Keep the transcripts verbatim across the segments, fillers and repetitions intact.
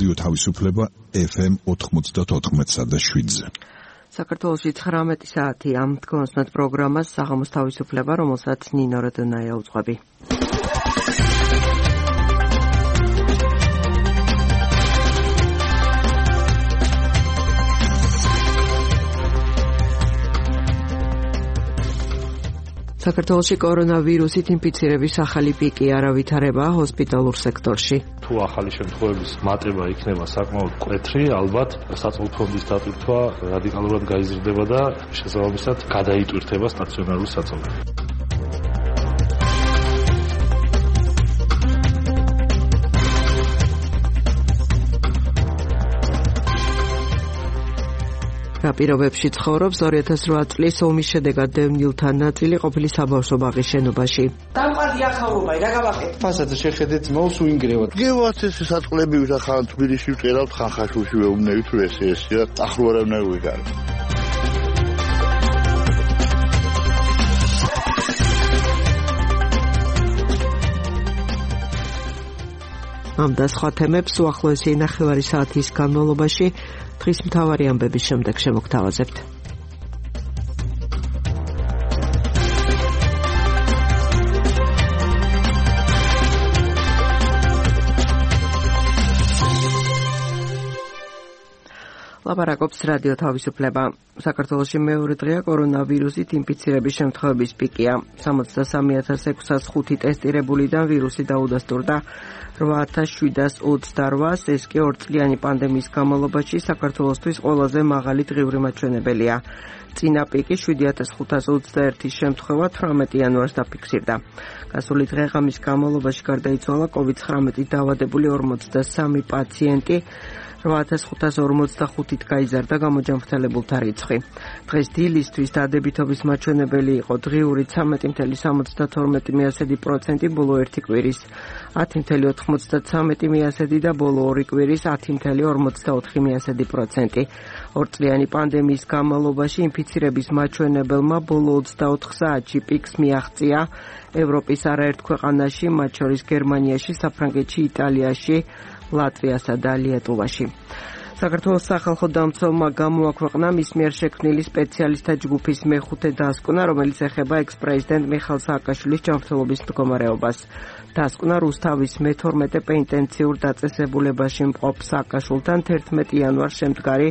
რადიო თავისუფლება ეფ ემ ოთხმოცდაოთხ და შვიდზე. საქართველოში ცხრამეტი საათია. თქვენსმეთ პროგრამას საღამოს თავისუფლება, რომელსაც ნინო როდონაია უძღვები. საქართველოში კორონავირუსით ინფიცირების ახალი პიკი არ ავითარება ჰოსპიტალურ სექტორში. თუ ახალი შემთხვევების მატება იქნება საკმაოდ მკვეთრი, ალბათ საწოლ ფონდის დატვირთვა რადიკალურად გაიზრდება და შესაბამისად გადაიტვირთება სტაციონარული საწოლები. რა პირობებში ცხოვრობს ორი ათას რვა წლის ომის შედეგად დევნილთა ნაწილი ყოფილი საბავშვო ბაღის შენობაში. დამყარდი ახალობა, რა გავაკეთე? ფასადზე შეხედეთ მოს უინგრევად. გევათ ეს საწყლები ვიხან თბილისში ვწერავთ ხახაშულში ვეუბნებით თუ ეს ესია ახლო არ უნდა ვიგარო. ამ და სხვა თემებს უახლოესი ნახევარი საათის განმავლობაში დღის მთავარი ამბების შემდეგ შემოგთავაზებთ. ლაპარაკობს რადიო თავისუფლება. საქართველოში მეორე დღეა კორონავირუსით ინფიცირების შემთხვევების პიკია. სამოცდასამი ათას ექვსას ხუთი ტესტირებულიდან ვირუსი დაუდასტურდა რვა ათას შვიდას ოცდარვას, ეს კი ორწლიანი პანდემიის განმავლობაში საქართველოსთვის ყველაზე მაღალი დღიური მაჩვენებელია. წინა პიკი შვიდი ათას ხუთას ოცდაერთის შემთხვევა თვრამეტი იანვარს დაფიქსირდა. გასული დღე-ღამის განმავლობაში გარდაიცვალა კოვიდ ცხრამეტით დაავადებული ორმოცდასამი პაციენტი. რვა ათას ხუთას ორმოცდახუთით გაიზარდა გამოჯანმრთელებულთა რიცხვი. დღეს დილისთვის დადებითობის მაჩვენებელი იყო დღიური ცამეტი მცდე სამოცდათორმეტი პროცენტი, ბოლო ერთი კვირის ათი მცდე ოთხმოცდაცამეტი პროცენტი და ბოლო ორი კვირის ათი მცდე ორმოცდაოთხი პროცენტი. ორწლიანი პანდემიის განმავლობაში ინფიცირების მაჩვენებელმა ბოლო ოცდაოთხ საათში პიკს მიაღწია ევროპის არაერთ ქვეყანაში, მათ შორის გერმანიაში, საფრანგეთში, იტალიაში, ლატვიასა და ლიეტუვაში. საქართველოს სახალხო დამცველმა გამოაქვეყნა მის მიერ შექმნილი სპეციალისტთა ჯგუფის მეხუთე დასკვნა, რომელიც ეხება ექს-პრეზიდენტ მიხაილ სააკაშვილის ჯანმრთელობის მდგომარეობას. დასკვნა რუსთავის მეთორმეტე პენიტენციურ დაწესებულებაში მყოფ სააკაშვილთან თერთმეტი იანვარს შემდგარი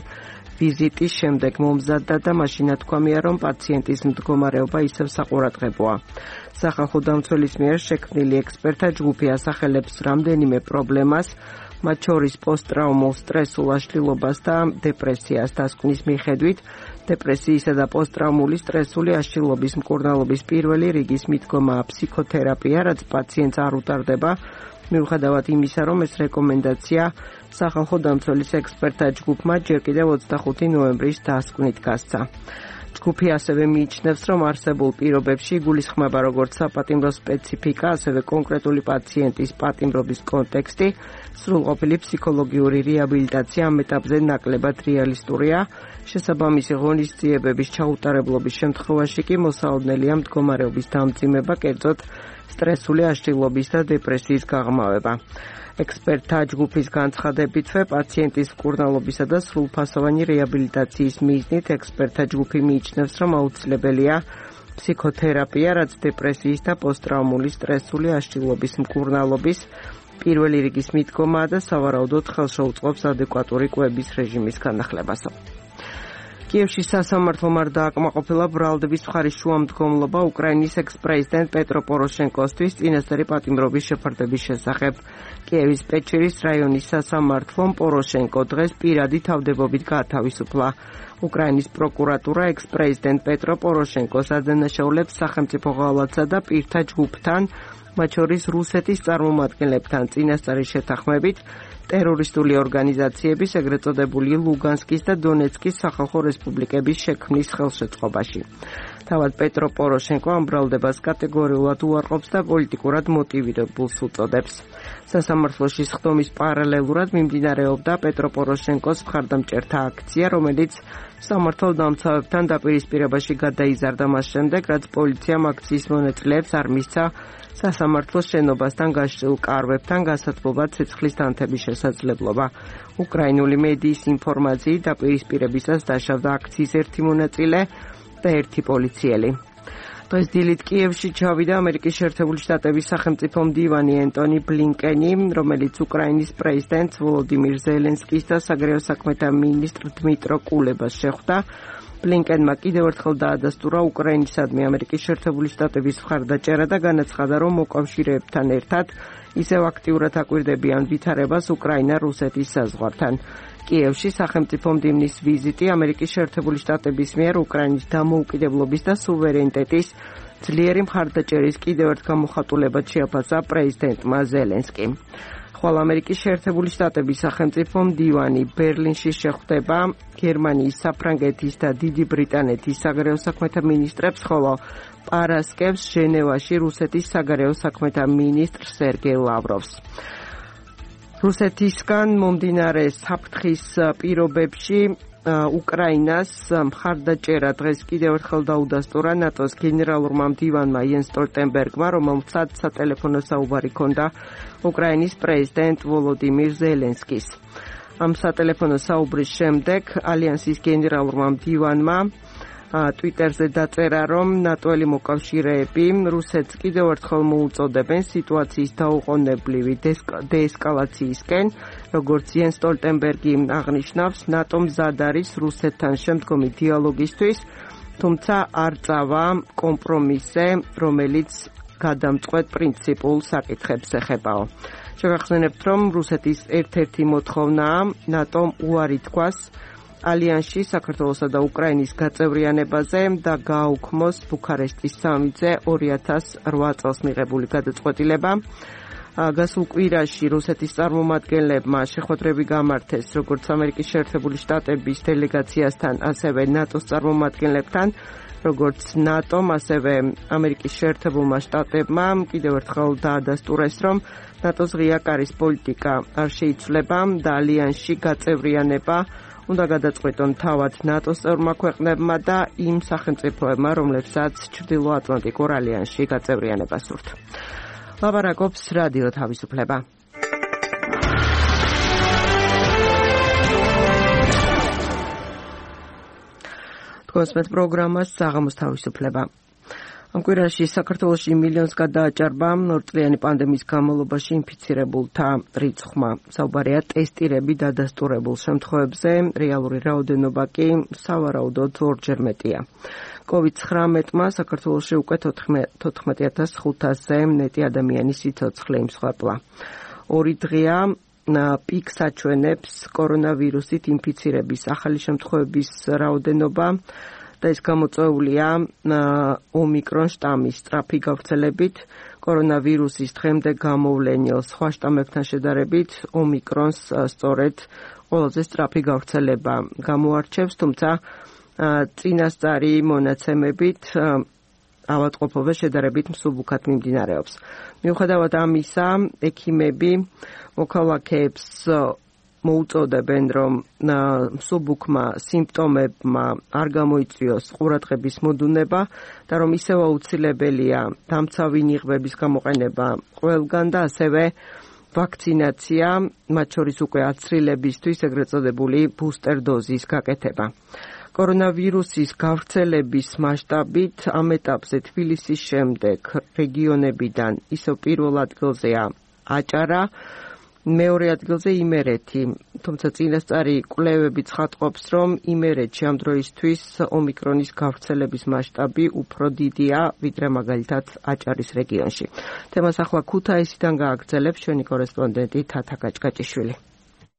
ვიზიტის შემდეგ მომზადდა და მაშინ თქვამია, რომ პაციენტის მდგომარეობა ისევ საყურადღებოა. სახალხო დამცველის მიერ შექმნილი ექსპერტთა ჯგუფი ასახელებს რამდენიმე პრობლემას, მათ შორის პოსტტრაუმულ სტრესულ აშლილობას და დეპრესიას. დასკვნის მიხედვით, დეპრესიისა და პოსტტრაუმული სტრესული აშლილობის მკურნალობის პირველი რიგის მიდგომაა ფსიქოთერაპია, რაც პაციენტს არ უტარდება, მიუხედავად იმისა, რომ ეს რეკომენდაცია სახალხო დამცველის ექსპერტთა ჯგუფმა ჯერ კიდევ ოცდახუთი ნოემბრის დასკვნით გასცა. ჯგუფი ასევე მიიჩნევს, რომ არსებულ პირობებში იგულისხმება როგორც საპატიმრო სპეციფიკა, ასევე კონკრეტული პაციენტის პატიმრობის კონტექსტი, სრულყოფილი ფსიქოლოგიური რეაბილიტაცია ამ ეტაპზე ნაკლებად რეალისტურია. შესაბამისი ღონისძიებების ჩაუტარებლობის შემთხვევაში კი მოსაოდნელია მდგომარეობის დამძიმება, კერძოდ სტრესული აშლილობის და დეპრესიის გაღრმავება. ექსპერტთა ჯგუფის განცხადებითვე პაციენტის მკურნალობისა და სრულფასოვანი რეაბილიტაციის მიზნით ექსპერტთა ჯგუფი მიიჩნევს, რომ აუცილებელია ფსიქოთერაპია, რაც დეპრესიის და პოსტტრაუმული სტრესული აშლილობის მკურნალობის პირველი რიგის მიდგომაა და სავარაუდოდ ხელშეუწყობს ადეკვატური კვების რეჟიმის განახლებას. კიევში სასამართლომ არ დააკმაყოფილა ბრალდების მხარის შუამდგომლობა უკრაინის ექს-პრეზიდენტ პეტრო პოროშენკოსთვის წინასწარი პატიმრობის შეფარდების შესახებ. კიევის პეჩერის რაიონის სასამართლომ პოროშენკო დღეს პირადი თავდებობით გაათავისუფლა. უკრაინის პროკურატურა ექს-პრეზიდენტ პეტრო პოროშენკოს ადანაშაულებს სახელმწიფო ღალატსა და პირთა ჯგუფთან, მათ შორის რუსეთის წარმომადგენლებთან წინასწარი შეთანხმებით ტერორისტული ორგანიზაციების, ეგრეთ წოდებული ლუგანსკის და დონეცკის სახალხო რესპუბლიკების შექმნის ხელშეწყობაში. თავად პეტრო პოროშენკო ამ ბრალდებას კატეგორიულად უარყოფს და პოლიტიკურად მოტივირებულს უწოდებს. სასამართლოში სხდომის პარალელურად მიმდინარეობდა პეტრო პოროშენკოს მხარდამჭერთა აქცია, რომელიც სამართალ დამცავებთან დაპირისპირებაში გადაიზარდა მას შემდეგ, რაც პოლიციამ აქციის მონაწილეებს არ მისცა სასამართლოს შენობასთან გაშლილ კარვებთან გასათბობად ცეცხლის დანთების შესაძლებლობა. უკრაინული მედიის ინფორმაციით დაპირისპირებისას დაშავდა აქციის ერთი მონაწილე და ერთი პოლიციელი. დღეს დილით კიევში ჩავიდა ამერიკის შეერთებული შტატების სახელმწიფო მდივანი ენტონი ბლინკენი, რომელიც უკრაინის პრეზიდენტ ვოლოდიმირ ზელენსკის და საგარეო საქმეთა მინისტრ დმიტრო კულებას შეხვდა. ბლინკენმა კიდევ ერთხელ დაადასტურა უკრაინისადმი ამერიკის შეერთებული შტატების მხარდაჭერა და განაცხადა, რომ მოკავშირეებთან ერთად ისევ აქტიურად აკვირდებიან ვითარებას უკრაინა-რუსეთის საზღვართან. კიევში სახელმწიფო მდივნის ვიზიტი ამერიკის შეერთებული შტატების მიერ უკრაინის დამოუკიდებლობის და სუვერენიტეტის ძლიერი მხარდაჭერის კიდევ ერთ გამოხატულებად შეაფასა პრეზიდენტმა ზელენსკიმ. ხვალ ამერიკის შეერთებული შტატების სახელმწიფო მდივანი ბერლინში შეხვდება გერმანიის, საფრანგეთის და დიდი ბრიტანეთის საგარეო საქმეთა მინისტრებს, ხოლო პარასკევს ჟენევაში რუსეთის საგარეო საქმეთა მინისტრ სერგეი ლავროვს. რუსეთისგან მომდინარე საფრთხის პირობებში უკრაინას მხარდაჭერა დღეს კიდევ ერთხელ დაუდასტურა ნატოს გენერალურმა მდივანმა იენს სტოლტენბერგმა, რომელსაც სატელეფონო საუბარი ჰქონდა უკრაინის პრეზიდენტ ვოლოდიმირ ზელენსკის. ამ სატელეფონო საუბრის შემდეგ ალიანსის გენერალურმა მდივანმა ტვიტერზე დაწერა, რომ ნატოელი მოკავშირეები რუსეთს კიდევ ერთხელ მოუწოდებენ სიტუაციის დაუყოვნებლივი დეესკალაციისკენ, როგორც იენს სტოლტენბერგი აღნიშნავს, ნატო მზად არის რუსეთთან შემდგომი დიალოგისთვის, თუმცა არ წავა კომპრომისზე, რომელიც გადამწყვეტ პრინციპულ საკითხებს ეხებაო. შევახსენებთ, რომ რუსეთის ერთ-ერთი მოთხოვნაა ნატომ უარი თქვას ალიანსში საქართველოსა და უკრაინის გაწევრიანებაზე და გააუქმოს ბუქარესტის სამიტზე ორი ათას ოთხ წელს მიღებული გადაწყვეტილება. გასულ კვირაში რუსეთის წარმომადგენლებმა შეხვედრები გამართეს როგორც ამერიკის შეერთებული შტატების დელეგაციასთან, ასევე ნატოს წარმომადგენლებთან, როგორც ნატომ, ასევე ამერიკის შეერთებულმა შტატებმა კიდევ ერთხელ დაადასტურეს, რომ ნატოს ღია კარის პოლიტიკა არ შეიცვლება და ალიანსში გაწევრიანება უნდა გადაწყვეტონ თავად ნატოს წევრმა ქვეყნებმა და იმ სახელმწიფოებმა, რომლებსაც ჩრდილოატლანტიკურ ალიანსში გაწევრიანება სურთ. ლაპარაკობს რადიო თავისუფლება. თქვენს პროგრამას საღამოს თავისუფლება. ამ კვირაში საქართველოში მილიონს გადააჭარბა ორწლიანი პანდემიის განმავლობაში ინფიცირებულთა რიცხვმა. საუბარია ტესტირები დადასტურებულ შემთხვევებზე, რეალური რაოდენობა კი სავარაუდოდ ორჯერ მეტია. კოვიდ ცხრამეტმა საქართველოში უკვე თოთხმეტი ათას ხუთასზე მეტი ადამიანის სიცოცხლე იმსხვერპლა. ორი დღეა პიკს აჩვენებს კორონავირუსით ინფიცირების ახალი შემთხვევების რაოდენობა და ეს გამოწვეულია ომიკრონ შტამის სწრაფი გავრცელებით. კორონავირუსის დღემდე გამოვლენილ სხვა შტამებთან შედარებით ომიკრონს სწორედ ყველაზე სწრაფი გავრცელება გამოარჩევს, თუმცა წინასწარი მონაცემებით ავადმყოფობა შედარებით მსუბუქად მიმდინარეობს. მიუხედავად ამისა, ექიმები მოქალაქეებს მოუწოდებენ, რომ მსუბუქმა სიმპტომებმა არ გამოიწვიოს ყურადღების მოდუნება და რომ ისევ აუცილებელია დამცავი ნიღბების გამოყენება ყველგან და ასევე ვაქცინაცია, მათ შორის უკვე აცრილებისთვის ეგრეთ წოდებული ბუსტერ დოზის გაკეთება. კორონავირუსის გავრცელების მასშტაბით ამ ეტაპზე თბილისის შემდეგ რეგიონებიდან ისევ პირველ ადგილზეა აჭარა, მეორე ადგილზე იმერეთი, თუმცა წინასწარი კვლევები ცხადყოფს, რომ იმერეთში ამ დროისთვის ომიკრონის გავრცელების მასშტაბი უფრო დიდია, ვიდრე მაგალითად აჭარის რეგიონში. თემას ახლა ქუთაისიდან გააგრძელებს ჩვენი კორესპონდენტი თათა გაჭგაჭიშვილი.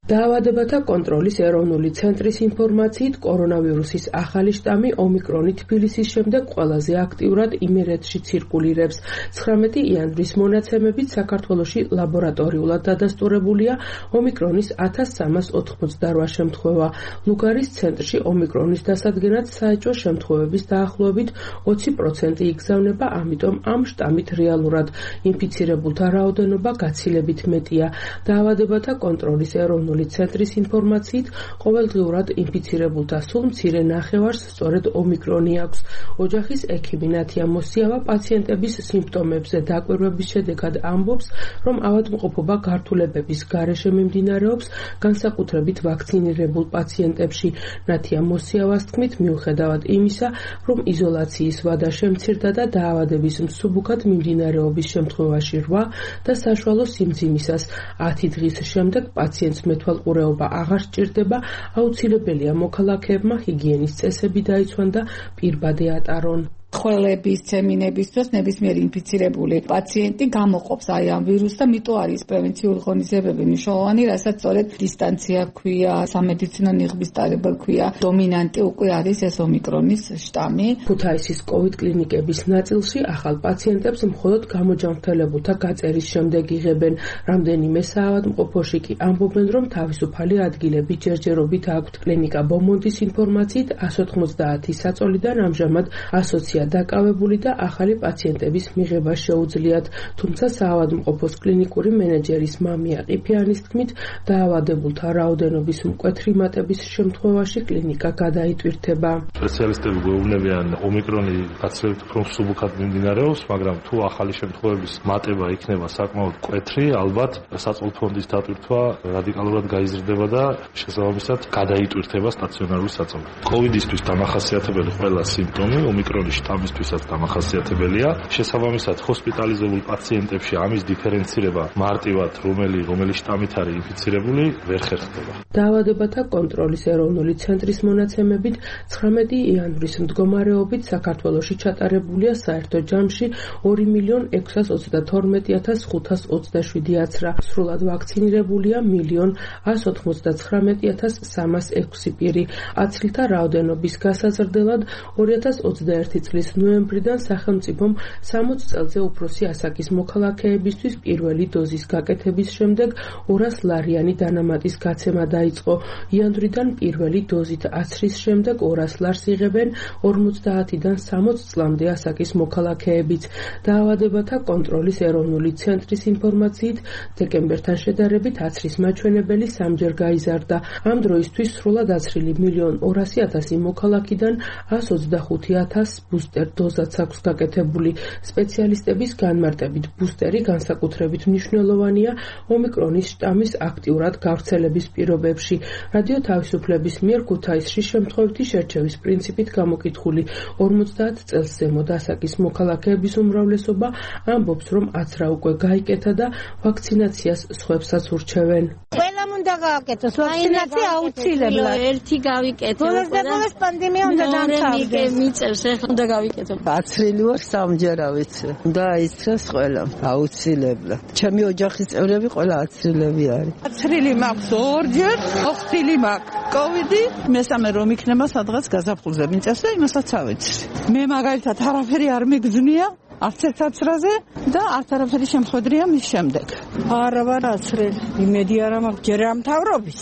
დაავადებათა კონტროლის ეროვნული ცენტრის ინფორმაციით, კორონავირუსის ახალი შტამი ომიკრონი თბილისის შემდეგ ყველაზე აქტიურად იმერეთში ცირკულირებს. ცხრამეტი იანვრის მონაცემებით საქართველოში ლაბორატორიულად დადასტურებულია ომიკრონის ათას სამას ოთხმოცდარვა შემთხვევა. ლუგარის ცენტრში ომიკრონის დასადგენად საეჭვო შემთხვევების დაახლოებით ოცი პროცენტი იგზავნება, ამიტომ ამ შტამით რეალურად ინფიცირებულთა რაოდენობა გაცილებით მეტია. დაავადებათა კონტროლის ეროვნული ცენტრის ინფორმაციით, ყოველდღიურად ინფიცირებულთა სულ მცირე ნახევარს სწორედ ომიკრონი აქვს. ოჯახის ექიმი ნათია მოსიავა პაციენტების სიმპტომებზე დაკვირვების შედეგად ამბობს, რომ ავადმყოფობა გართულებების გარეშე მიმდინარეობს, განსაკუთრებით ვაქცინირებულ პაციენტებში. ნათია მოსიავას თქმით, მიუხედავად იმისა, რომ იზოლაციის ვადა შემცირდა და დაავადების მსუბუქად მიმდინარეობის შემთხვევაში რვა და საშუალო სიმძიმისას ათი დღის შემდეგ პაციენტს მეთვალყურეობა აღარ სჭირდება, აუცილებელია მოქალაქეებმა ჰიგიენის წესები დაიცვან და პირბადე ატარონ. ხველების, ცემინების დროს ნებისმიერი ინფიცირებული პაციენტი გამოყოფს აი ამ ვირუსს და მიტო არის პრევენციული ღონისძიებები მნიშვნელოვანი, რასაც სწორედ დისტანცია ქვია, სამედიცინო ნიღბის ტარება ქვია. დომინანტი უკვე არის ეს ომიკრონის შტამი. ქუთაისის კოვიდ კლინიკების ნაწილში ახალ პაციენტებს მხოლოდ გამოჯანმრთელებულთა გაწერის შემდეგ იღებენ. რამდენიმე საავადმყოფოში კი ამბობენ, რომ თავისუფალი ადგილები ჯერჯერობით აქვთ. კლინიკა ბომონდის ინფორმაციით ას ოთხმოცდაათი საწოლიდან ამჟამად ასოცია დაკავებული და ახალი პაციენტების მიღება შეუძლიათ, თუმცა საავადმყოფოს კლინიკური მენეჯერის მამია ყიფიანის თქმით, დაავადებულთა რაოდენობის მკვეთრი მატების შემთხვევაში კლინიკა გადაიტვირთება. სპეციალისტები გვეუბნებიან, ომიკრონი გაცილებით უფრო მსუბუქად მიმდინარეობს, მაგრამ თუ ახალი შემთხვევების მატება იქნება საკმაოდ მკვეთრი, ალბათ საწყლო ფონდის დატვირთვა რადიკალურად გაიზრდება და შესაბამისად გადაიტვირთება სტაციონარული საწოლი. კოვიდისთვის დამახასიათებელი ყველა სიმპტომი ომიკრონის ამისთვისაც დამახასიათებელია. შესაბამისად, ჰოსპიტალიზებულ პაციენტებში ამის დიფერენცირება მარტივად, რომელი რომელი შტამით არის ინფიცირებული, ვერ ხერხდება. დაავადებათა კონტროლის ეროვნული ცენტრის მონაცემებით, ცხრამეტი იანვრის მდგომარეობით საქართველოში ჩატარებულია საერთო ჯამში ორი მილიონი ექვსას ოცდათორმეტი ათას ხუთას ოცდაშვიდი აცრა. სრულად ვაქცინირებულია მილიონი ას ოცდათხრამეტი ათას სამას ექვსი პირი. აცრილთა რაოდენობის გასაზრდელად ორი ათას ოცდაერთი წლის ნოემბრიდან სახელმწიფომ სამოც წელზე უფროსი ასაკის მოქალაქეებისთვის პირველი დოზის გაკეთების შემდეგ ორას ლარიანი დანამატის გაცემა დაიწყო. იანვრიდან პირველი დოზით აცრის შემდეგ ორას ლარს იღებენ ორმოცდაათიდან სამოც წლამდე ასაკის მოქალაქეებიც. დაავადებათა კონტროლის ეროვნული ცენტრის ინფორმაციით, დეკემბერთან შედარებით აცრის მაჩვენებელი სამჯერ გაიზარდა. ამ დროისთვის სრულად აცრილი მილიონი ორასი ათასი მოქალაქიდან ას ოცდახუთი ათასს ბუსტერ დოზაც აქვს გაკეთებული. სპეციალისტების განმარტებით, ბუსტერი განსაკუთრებით მნიშვნელოვანია ომიკრონის შტამის აქტიურად გავრცელების პირობებში. რადიო თავისუფლების მიერ ქუთაისში შემთხვევითი შერჩევის პრინციპით გამოკითხული ორმოცდაათ წელს ზემო ასაკის მოქალაქეების უმრავლესობა ამბობს, რომ აცრა უკვე გაიკეთა და ვაქცინაციას სხვებსაც ურჩევენ. ყველამ უნდა გააკეთოს ვაქცინაცია აუცილებლად. ერთი გავიკეთე. ბოლოს და ბოლოს პანდემია უნდა დამთავრდეს. მიწევს ეხლა უნდა გავიკეთო. აცრილი ვარ სამჯერა ვიცი. და იცრეს ყველა აუცილებლად. ჩემი ოჯახის წევრები ყველა აცრილები არის. აცრილი მაქვს ორჯერ, ოხტილი მაქვს. კოვიდი, მესამე რომ იქნება სადღაც გაზაფხულზე მიწევს და იმასაც ავიცი. მე მაგალითად არაფერი არ მიგზნია. არც ერთ აცრაზე და არც არაფერი შემხვედრია მის შემდეგ. არა ვარ აცრილი. იმედი არა მაქვს ჯერ ამთავრობის.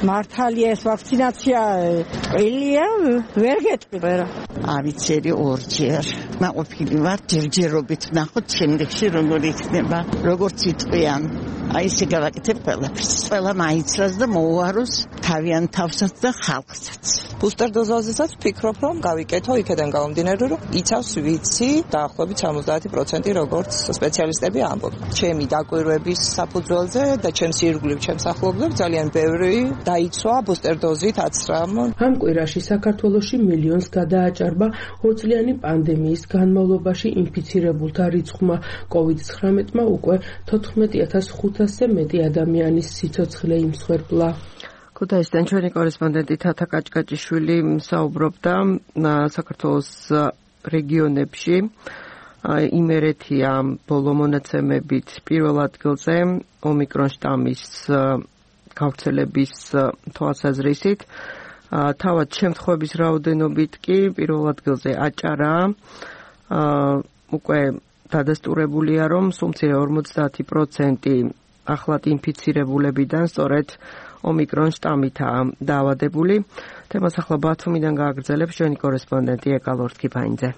მართალია ეს ვაქცინაცია ყელია, ვერ გეტყვი რა. ავიცერი ორჯერ. მაყოფილი ვარ ჯერჯერობით ნახოთ შემდეგში როგორ იქნება, როგორც იტყვიან. აი ესე გავაკეთებ ყველაფერს. ყველა მაიცრას და მოუაროს თავიანთ თავსაც და ხალხსაც. ბუსტერ დოზაზესაც ვფიქრობ, რომ გავიკეთო იქიდან გამომდინარე, რომ იცავს ვიცი დაახლოებით სამოცდაათი პროცენტი როგორც სპეციალისტები ამბობენ. ჩემი დაკვირვების საფუძველზე და ჩემს ირგვლივ ჩემს ახლობლებს ძალიან ბევრი დაიცვა ბუსტერ დოზით აცრამ. ამ კვირაში საქართველოში მილიონს გადააჭარბა ორწლიანი პანდემიის განმავლობაში ინფიცირებულთა რიცხვმა. კოვიდ ცხრამეტმა უკვე თოთხმეტი ათას ხუთასზე მეტი ადამიანის სიცოცხლე იმსხვერპლა. ქუთაისიდან ჩვენი კორესპონდენტი თათა კაჭკაჭიშვილი საუბრობდა საქართველოს რეგიონებში. იმერეთია ბოლო მონაცემებით პირველ ადგილზე ომიკრონ შტამის გავრცელების თვალსაზრისით. თავად შემთხვევების რაოდენობით კი პირველ ადგილზე აჭარაა. უკვე დადასტურებულია, რომ სულ ორმოცდაათი პროცენტი ახლად ინფიცირებულებიდან სწორედ ომიკრონ შტამითაა დაავადებული. თემას ახლა ბათუმიდან გააგრძელებს ჩვენი კორესპონდენტი ეკალორთ კიფაინძე.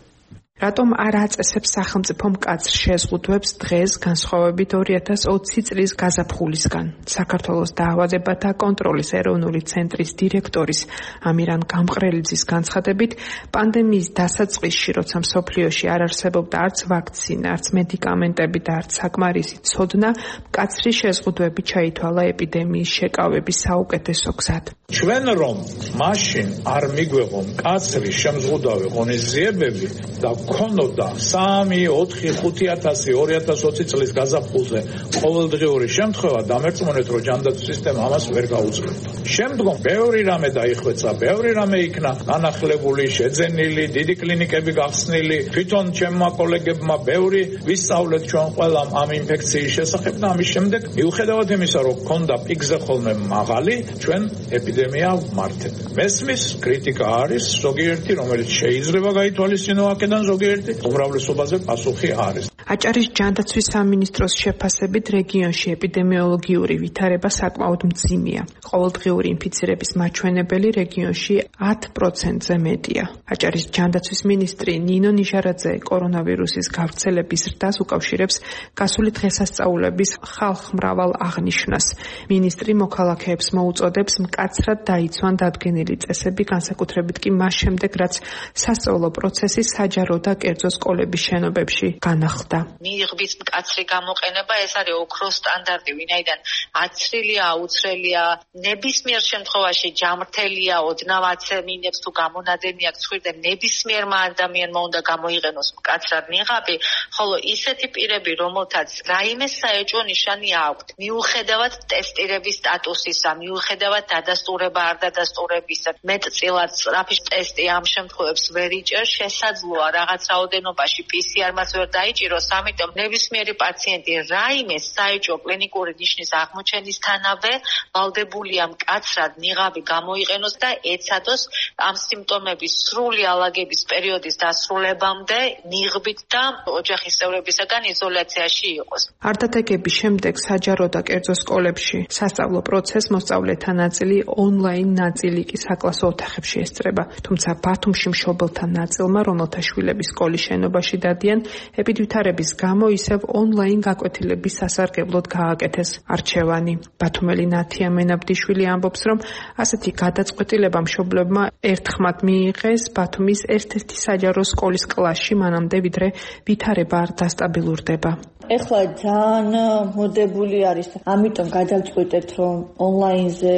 რატომ არ აწესებს სახელმწიფო მკაცრ შეზღუდვებს დღეს განსხვავებით ორი ათას ოცი წლის გაზაფხულისგან? საქართველოს დაავადებათა კონტროლის ეროვნული ცენტრის დირექტორის ამირან გამყრელიძის განცხადებით, პანდემიის დასაწყისში, როცა მსოფლიოში არ არსებობდა არც ვაქცინა, არც მედიკამენტები და არც საკმარისი ცოდნა, მკაცრი შეზღუდვები ჩაითვალა ეპიდემიის შეკავების საუკეთესო გზად. ჩვენ რომ მაშინ არ მიგვეღო მკაცრი შემზღუდავი ღონისძიებები და ქონოდა სამი, ოთხი, ხუთი ათასი, ორი ათას ოცი წლის გაზაფხულზე ყოველდღიური შემთხვევა, დამერწმუნეთ, რომ ჯანდაცვის სისტემა ამას ვერ გაუძლებდა. შემდგომ ბევრი რამე დაიხვეცა, ბევრი რამე იქნა განახლებული, შეძენილი, დიდი კლინიკები გახსნილი, თვითონ ჩემმა კოლეგებმა ბევრი ვისწავლეთ ჩვენ ყველამ ამ ინფექციის შესახებ და ამის შემდეგ მიუხედავად იმისა, რომ ქონდა პიკზე ხოლმე მაღალი, ჩვენ ეპიდემია ვმართეთ. მესმის კრიტიკა არის ზოგიერთი, რომელიც შეიძლება გაითვალისწინო აქედან, ზოგიერთი უმრავლესობაზე პასუხი არის. აჭარის ჯანდაცვის სამინისტროს შეფასებით რეგიონში ეპიდემიოლოგიური ვითარება საკმაოდ მძიმეა. ყოველდღიური ინფიცირების მაჩვენებელი რეგიონში ათ პროცენტზე მეტია. აჭარის ჯანდაცვის მინისტრი ნინო ნიჟარაძე კორონავირუსის გავრცელების ზრდას უკავშირებს გასული დღესასწაულების ხალხმრავალ აღნიშვნას. მინისტრი მოქალაქეებს მოუწოდებს მკაცრად დაიცვან დადგენილი წესები, განსაკუთრებით კი მას შემდეგ, რაც სასწავლო პროცესი საჯარო და კერძო სკოლების შენობებში განახლდა. ნიღბის მკაცრი გამოყენება ეს არის ოქროს სტანდარტი, ვინაიდან აცრილია, აუცრელია, ნებისმიერ შემთხვევაში ჯამრთელია, ოდნავ აცემინებს თუ გამონადენი აქვს ხვირდა, ნებისმიერმა ადამიანმა უნდა გამოიყენოს მკაცრად ნიღაბი, ხოლო ისეთი პირები, რომელთაც რაიმე საეჭვო ნიშანი აქვთ, მიუხედავად ტესტირების სტატუსისა, მიუხედავად დადასტურება არ დადასტურებისა, მეტწილად სწრაფი ტესტი ამ შემთხვევებს ვერ იჭერს, შესაძლოა რაღაც რაოდენობაში პი სი არ-მას ვერ დაიჭიროს, ამიტომ ნებისმიერი პაციენტი რაიმე საეჭვო კლინიკური ნიშნის აღმოჩენისთანავე ვალდებულია მკაცრად ნიღაბი გამოიყენოს და ეცადოს ამ სიმპტომების სრული ალაგების პერიოდის დასრულებამდე ნიღბით და ოჯახის წევრებისაგან იზოლაციაში იყოს. არტატეკების შემდეგ საჯარო და კერძო სკოლებში სასწავლო პროცესს მოსწავლეთა ნაწილი ონლაინ, ნაწილი კი საკლასო ოთახებში ესწრება. თუმცა ბათუმში მშობელთა ნაწილმა, რომელთა შვილები სკოლის შენობაში დადიან, ეპიდვითარების გამო ისევ ონლაინ გაკვეთილების სასარგებლოდ გააკეთეს არჩევანი. ბათუმელი ნათია მენაბდიშვილი ამბობს, რომ ასეთი გადაწყვეტილება მშობლებმა ერთხმად მიიღეს ბათუმის ერთ-ერთი საჯარო სკოლის კლასში, მანამდე ვიდრე ვითარება არ დასტაბილურდება. ეხლა ძალიან მოდებული არის, ამიტომ გადავწყვეტეთ, რომ ონლაინზე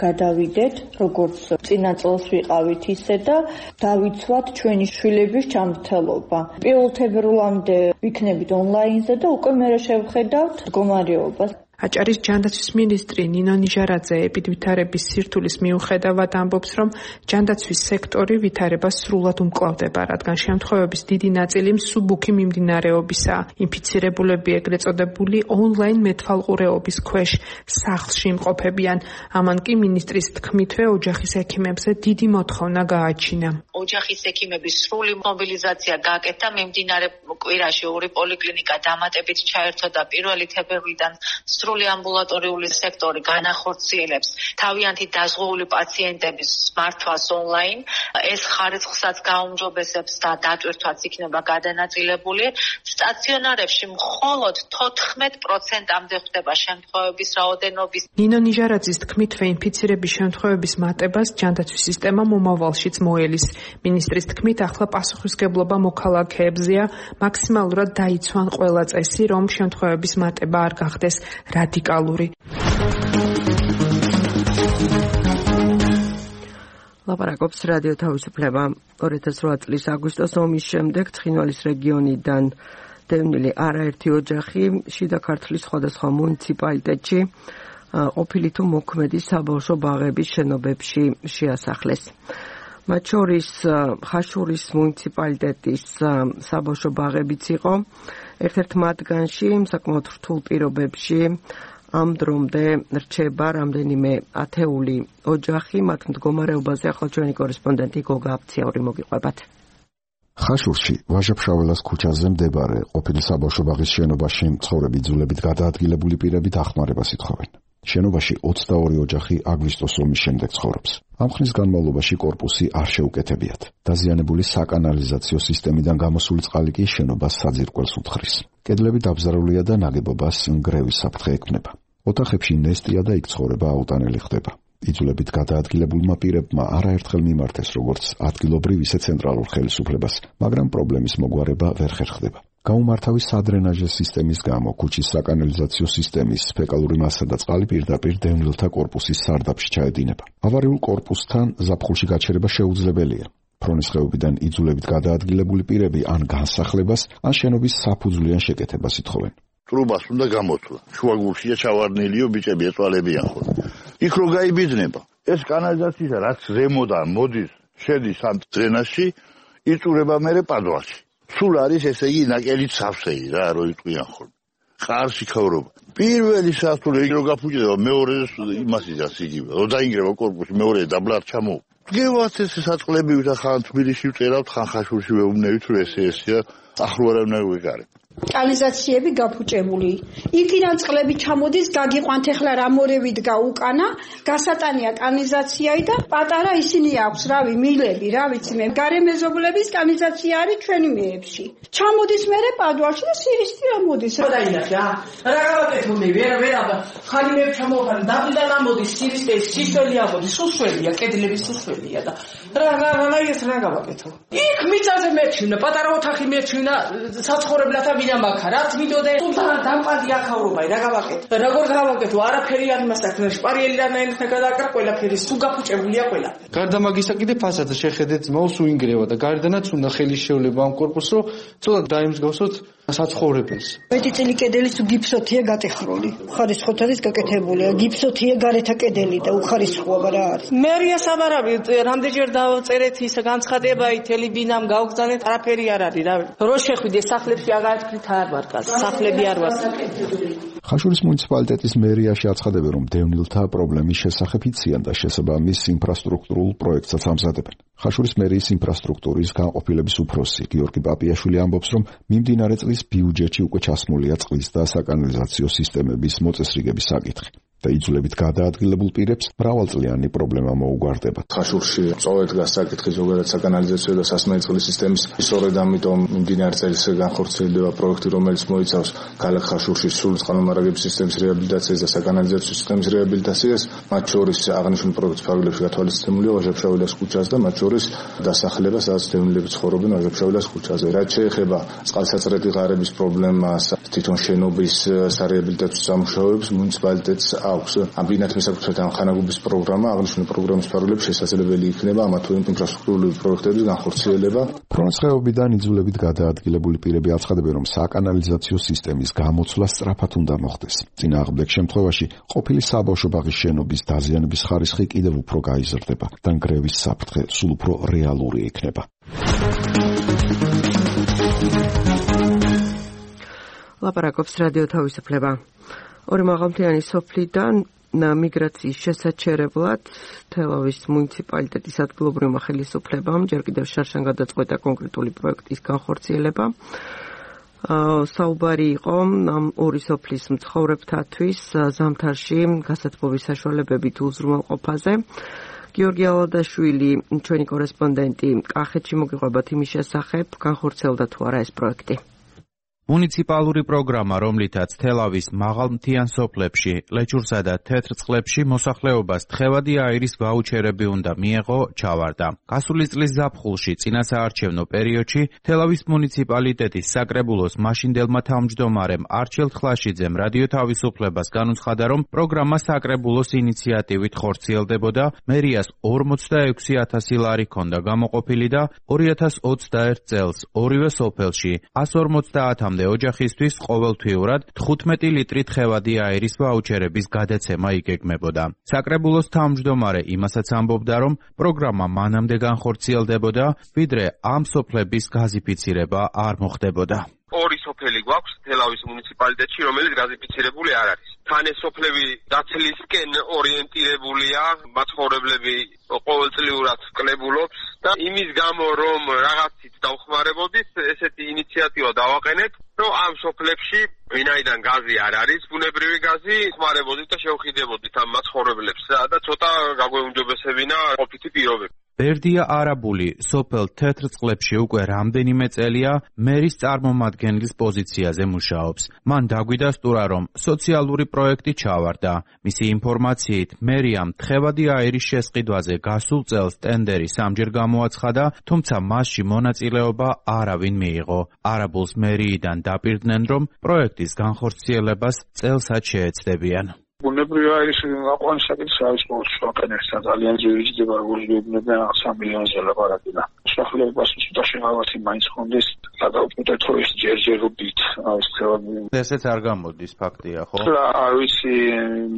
გადავიდეთ, როგორც წინა წელს ვიყავით ისე და დავიცვათ ჩვენი შვილების ჯანმრთელობა. პირველ თებერვლამდე ვიქნებით ონლაინზე და უკვე მერე შევხედავთ მდგომარეობას. აჭარის ჯანდაცვის მინისტრი ნინო ნიჟარაძე ეპიდვითარების სირთულის მიუხედავად ამბობს, რომ ჯანდაცვის სექტორი ვითარებას სრულად უმკლავდება, რადგან შემთხვევების დიდი ნაწილი მსუბუქი მიმდინარეობისაა. ინფიცირებულები ეგრეთ წოდებული ონლაინ მეტვალყურეობის ქვეშ სახლში იმყოფებიან. ამან კი მინისტრის თქმითვე ოჯახის ექიმებზე დიდი მოთხოვნა გააჩინა. ოჯახის ექიმების სრული მობილიზაცია გააკეთა, მიმდინარე კვირაში ორი პოლიკლინიკა დამატებით ჩაერთო და პირველი თებერვლიდან სრული ამბულატორიული სექტორი განახორციელებს თავიანთი დაზღვეული პაციენტების მართვას ონლაინ. ეს ხარისხსაც გაუმჯობესებს და დატვირთვაც იქნება გადანაწილებული. სტაციონარებში მხოლოდ თოთხმეტ პროცენტამდე ხდება შემთხვევების რაოდენობის. ნინო ნიჟარაძის თქმითვე ინფიცირების შემთხვევების მატებას ჯანდაცვის სისტემა მომავალშიც მოელის. მინისტრის თქმით, ახლა პასუხისგებლობა მოქალაქეებზეა, მაქსიმალურად დაიცვან ყველა წესი, რომ შემთხვევების მატება არ გახდეს რადიკალური. ლაპარაკობს რადიო თავისუფლება. ორი ათას რვა წლის აგვისტოს ომის შემდეგ ცხინვალის რეგიონიდან დევნილი არაერთი ოჯახი შიდა ქართლის სხვადასხვა მუნიციპალიტეტში ყოფილი თუ მოქმედი საბავშვო ბაღების შენობებში შეასახლეს. მათ შორის ხაშურის მუნიციპალიტეტის საბავშვო ბაღებიც იყო. ერთ-ერთ მათგანში საკმაოდ რთულ პირობებში ამ დრომდე რჩება რამდენიმე ათეული ოჯახი, მათ მდგომარეობაზე ახლა ჩვენი კორესპონდენტი გოგა აფციაური მოგიყვებათ. ხაშურში, ვაჟა-ფშაველას ქუჩაზე მდებარე ყოფილი საბავშვო ბაღის შენობაში მცხოვრები იძულებით გადაადგილებული პირები დახმარებას ითხოვენ. შენობაში ოცდაორი ოჯახი აგვისტოს ომის შემდეგ ცხოვრობს. ამ ხნის განმავლობაში კორპუსი არ შეუკეთებიათ. დაზიანებული საკანალიზაციო სისტემიდან გამოსული წყალი კი შენობას საძირკველს უთხრის. კედლები დაბზარულია და ნაგებობას ნგრევის საფრთხე ექმნება. ოთახებში ნესტია და იქ ცხოვრება აუტანელი ხდება. იძულებით გადაადგილებულმა პირებმა არაერთხელ მიმართეს როგორც ადგილობრივ ისე ცენტრალურ ხელისუფლებას, მაგრამ პრობლემის მოგვარება ვერ ხერხდება. გაუმართავი სადრენაჟე სისტემის გამო ქუჩის საკანალიზაციო სისტემის ფეკალური მასა და წყალი პირდაპირ დევნილთა კორპუსის სარდაფში ჩაედინება. ავარიულ კორპუსთან ზაფხულში გაჩერება შეუძლებელია. ფრონის ხეობიდან იძულებით გადაადგილებული პირები ან განსახლებას, ან შენობის საფუძვლიან შეკეთებას ითხოვენ. ტრუბას უნდა გამოთვლა. შუაგულშია ჩავარდნილიო ბიჭები ეწვალებიან ხოლმე. იქ რო გაიბიძნება, ეს კანალიზაცია რაც ზემოდან მოდის, შედის ამ დრენაჟში, იწურება მერე პადვალში. სულ არის ესე იგი ნაკელით სავსეი რა, რო იტყვიან ხოლმე. ყარში ქავრობა. პირველი სასწავლო რო გაფუჭდება, მეორე იმას იზას იგივე. რო დაინგრევა კორპუსი, მეორე დაბლარ ჩამო. გევათ ეს საწყლები ვით ხან თბილისში ვწერავთ, ხან ხაშურში ვეუბნებით, რომ ესე ესეა, ახლო არ უნდა ვიგარე. კანალიზაციები გაფუჭებული. იქიდან წყლები ჩამოდის, გაგიყვანთ ახლა რამორევით გაუკანა, გასატანია კანალიზაციայի და პატარა ისინი აქვს, რავი, მილები, რა ვიცი მე, გარემეზობლების კანალიზაცია არის ჩვენი მეებში. ჩამოდის მერე პადვალში და სირისტი ამოდის. რა დაინახე, რა? რა გავაკეთო მე, ვერ ვერ აბა, ხანი მე ჩამოვყარი, დაბიდან ამოდის სირისტი, სისველი ამოდის, სუსველია, კედლები სუსველია და რა რა რა ეს რა გავაკეთო? იქ მიწაზე მეჩვინა, პატარა ოთახი მეჩვინა, საცხოვრებლათა მაქა რა თვითონ თუმცა დამპადი ახავრობაი რა გავაკეთე როგორ გავაკეთო არაფერი არ იმას აქვს შპარიელი რანაირთა გადააკრა ყველაფერი სულ გაფუჭებულია ყველა გარდა მაგისა კიდე ფასადა შეხედეთ ძმაოს უინგრევა და გარდანაც უნდა ხელი შეულება ამ კორპუსს რომ ცოტა დაიმსგავსოთ საცხოვრებელს მეტი წილი კედელი თუ გიფსოთია გატეხრული ხარისხოთაც გაკეთებულია გიფსოთია გარეთა კედელი და უხარისხოა რა არის მერია საბარავი რამდენჯერ დავწერეთ ის განცხადებაი თელიბინამ გავგზავნეთ არაფერი არ არის რა რო შეხვიდე სახლებში აგარეთქით არ ვარკას სახლები არ ვარ ხაშურის მუნიციპალიტეტის მერიაში აცხადებენ რომ დევნილთა პრობლემის შესახებ იციან და შესაბამის ინფრასტრუქტურულ პროექტსაც ამზადებენ. ხაშურის მერიის ინფრასტრუქტურის განყოფილების უფროსი გიორგი პაპიაშვილი ამბობს რომ მიმდინარე წლის ბიუჯეტში უკვე ჩასმულია წყლის და საკანალიზაციო სისტემების მოწესრიგების საკითხი. და იძულებით გადაადგილებულ პირებს მრავალწლიანი პრობლემა მოუგვარდება. ხაშურში სწორედ დგას საკითხი ზოგადად საკანალიზაციო და სასმელი წყლის სისტემის სწორედ ამიტომ მიმდინარე წელს განხორციელდება პროექტი, რომელიც მოიცავს ქალაქ ხაშურში სრული წყალმომარაგების სისტემის რეაბილიტაციას და საკანალიზაციო სისტემის რეაბილიტაციას, მათ შორის აღნიშნული პროექტის ფარგლებში გათვალისწინებულია ვაჟა-ფშაველას ქუჩას და მათ შორის დასახლება, სადაც დევნილები ცხოვრობენ ვაჟა-ფშაველას ქუჩაზე. რაც შეეხება წყალსაწრეთი ღარების პრობლემას, თვითონ შენობის სარეაბილიტაციო სამუშაოებს მუნიციპალიტეტს აქვს ამბინათ მესაკუთრებთან ხანაგობის პროგრამა, აღნიშნული პროგრამის ფარგლებში შესაძლებელი იქნება ამა თუ იმ ინფრასტრუქტურული პროექტების განხორციელება. ფრონის ხეობიდან იძულებით გადაადგილებული პირები აცხადებენ, რომ საკანალიზაციო სისტემის გამოცვლა სწრაფად უნდა მოხდეს. წინააღმდეგ შემთხვევაში ყოფილი საბავშვო ბაღის შენობის დაზიანების ხარისხი კიდევ უფრო გაიზრდება და ნგრევის საფრთხე სულ უფრო რეალური იქნება. ლაპარაკობს რადიო თავისუფლება. ორი მაღალმთიანი სოფლიდან მიგრაციის შესაჩერებლად თელავის მუნიციპალიტეტის ადგილობრივმა ხელისუფლებამ ჯერ კიდევ შარშან გადაწყვეტა კონკრეტული პროექტის განხორციელება. საუბარი იყო ამ ორი სოფლის მცხოვრებთათვის ზამთარში გასათბობის საშუალებებით უზრუნველყოფაზე. გიორგი ალადაშვილი, ჩვენი კორესპონდენტი, კახეთში მოგიყვებათ იმის შესახებ, განხორციელდა თუ არა ეს პროექტი. მუნიციპალური პროგრამა, რომლითაც თელავის მაღალმთიან სოფლებში, ლეჩურსა და თეთრწყლებში მოსახლეობას თხევადი აირის ვაუჩერები უნდა მიეღო, ჩავარდა. გასული წლის ზაფხულში წინასაარჩევნო პერიოდში თელავის მუნიციპალიტეტის საკრებულოს მაშინდელმა თავმჯდომარემ არჩილ ხლაშიძემ რადიო თავისუფლებას განუცხადა, რომ პროგრამა საკრებულოს ინიციატივით ხორციელდებოდა, მერიას ორმოცდაექვსი ათასი ლარი ჰქონდა გამოყოფილი და ორი ათას ოცდაერთ წელს ორივე სოფელში ას ორმოცდაათამდე ოჯახისთვის ყოველთვიურად თხუთმეტი ლიტრი თხევადი აირის ვაუჩერების გადაცემა იგეგმებოდა. საკრებულოს თავმჯდომარე იმასაც ამბობდა, რომ პროგრამა მანამდე განხორციელდებოდა, ვიდრე ამ სოფლების გაზიფიცირება არ მოხდებოდა. ორი სოფელი გვაქვს თელავის მუნიციპალიტეტში, რომელიც გაზიფიცირებული არ არის. თანასოფლები დაცლისკენ ორიენტირებულია, მაცხოვრებლები ყოველწლიურად კლებულობს და იმის გამო რომ რაღაცით დავხმარებოდით, ესეთი ინიციატივა დავაყენეთ, რომ ამ სოფლებში ვინაიდან გაზი არ არის, ბუნებრივი გაზი ხმარებოდით და შევხიდებოდით ამ მაცხოვრებლებს და ცოტა გაგვეუმჯობესებინა ყოფითი პირობები. ბერდია არაბული სოფელ თეთრწყლებში უკვე რამდენიმე წელია მერის წარმომადგენლის პოზიციაზე მუშაობს. მან დაგვიდასტურა, რომ სოციალური პროექტი ჩავარდა. მისი ინფორმაციით, მერიამ თხევადი აირის შესყიდვაზე გასულ წელს ტენდერი სამჯერ გამოაცხადა, თუმცა მასში მონაწილეობა არავინ მიიღო. არაბულს მერიიდან დაპირდნენ, რომ პროექტის განხორციელებას წელსაც შეეცდებიან. ბუნებრივი აირის აყვანის საკითხი არის ყოველთვის ვაკენერსა ძალიან ძვირი ჯდება როგორც გვებნებიან სამი მილიონზე ლაპარაკი და მსახურებას უცბად შეღავათი მაინც ხონდეს გადავწყვეტეთ რომ ეს ჯერჯერობით არის ცელები ესეც არ გამოდის ფაქტია ხო? არ ვიცი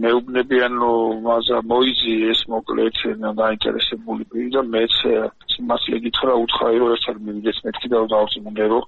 მეუბნებიან რომ მაზა მოიძი ეს მოკლედ დაინტერესებული პირი და მეც მას ეკითხა უთხარი რომ ერთად მივიდეს მეთქი და დავწმუნდე რომ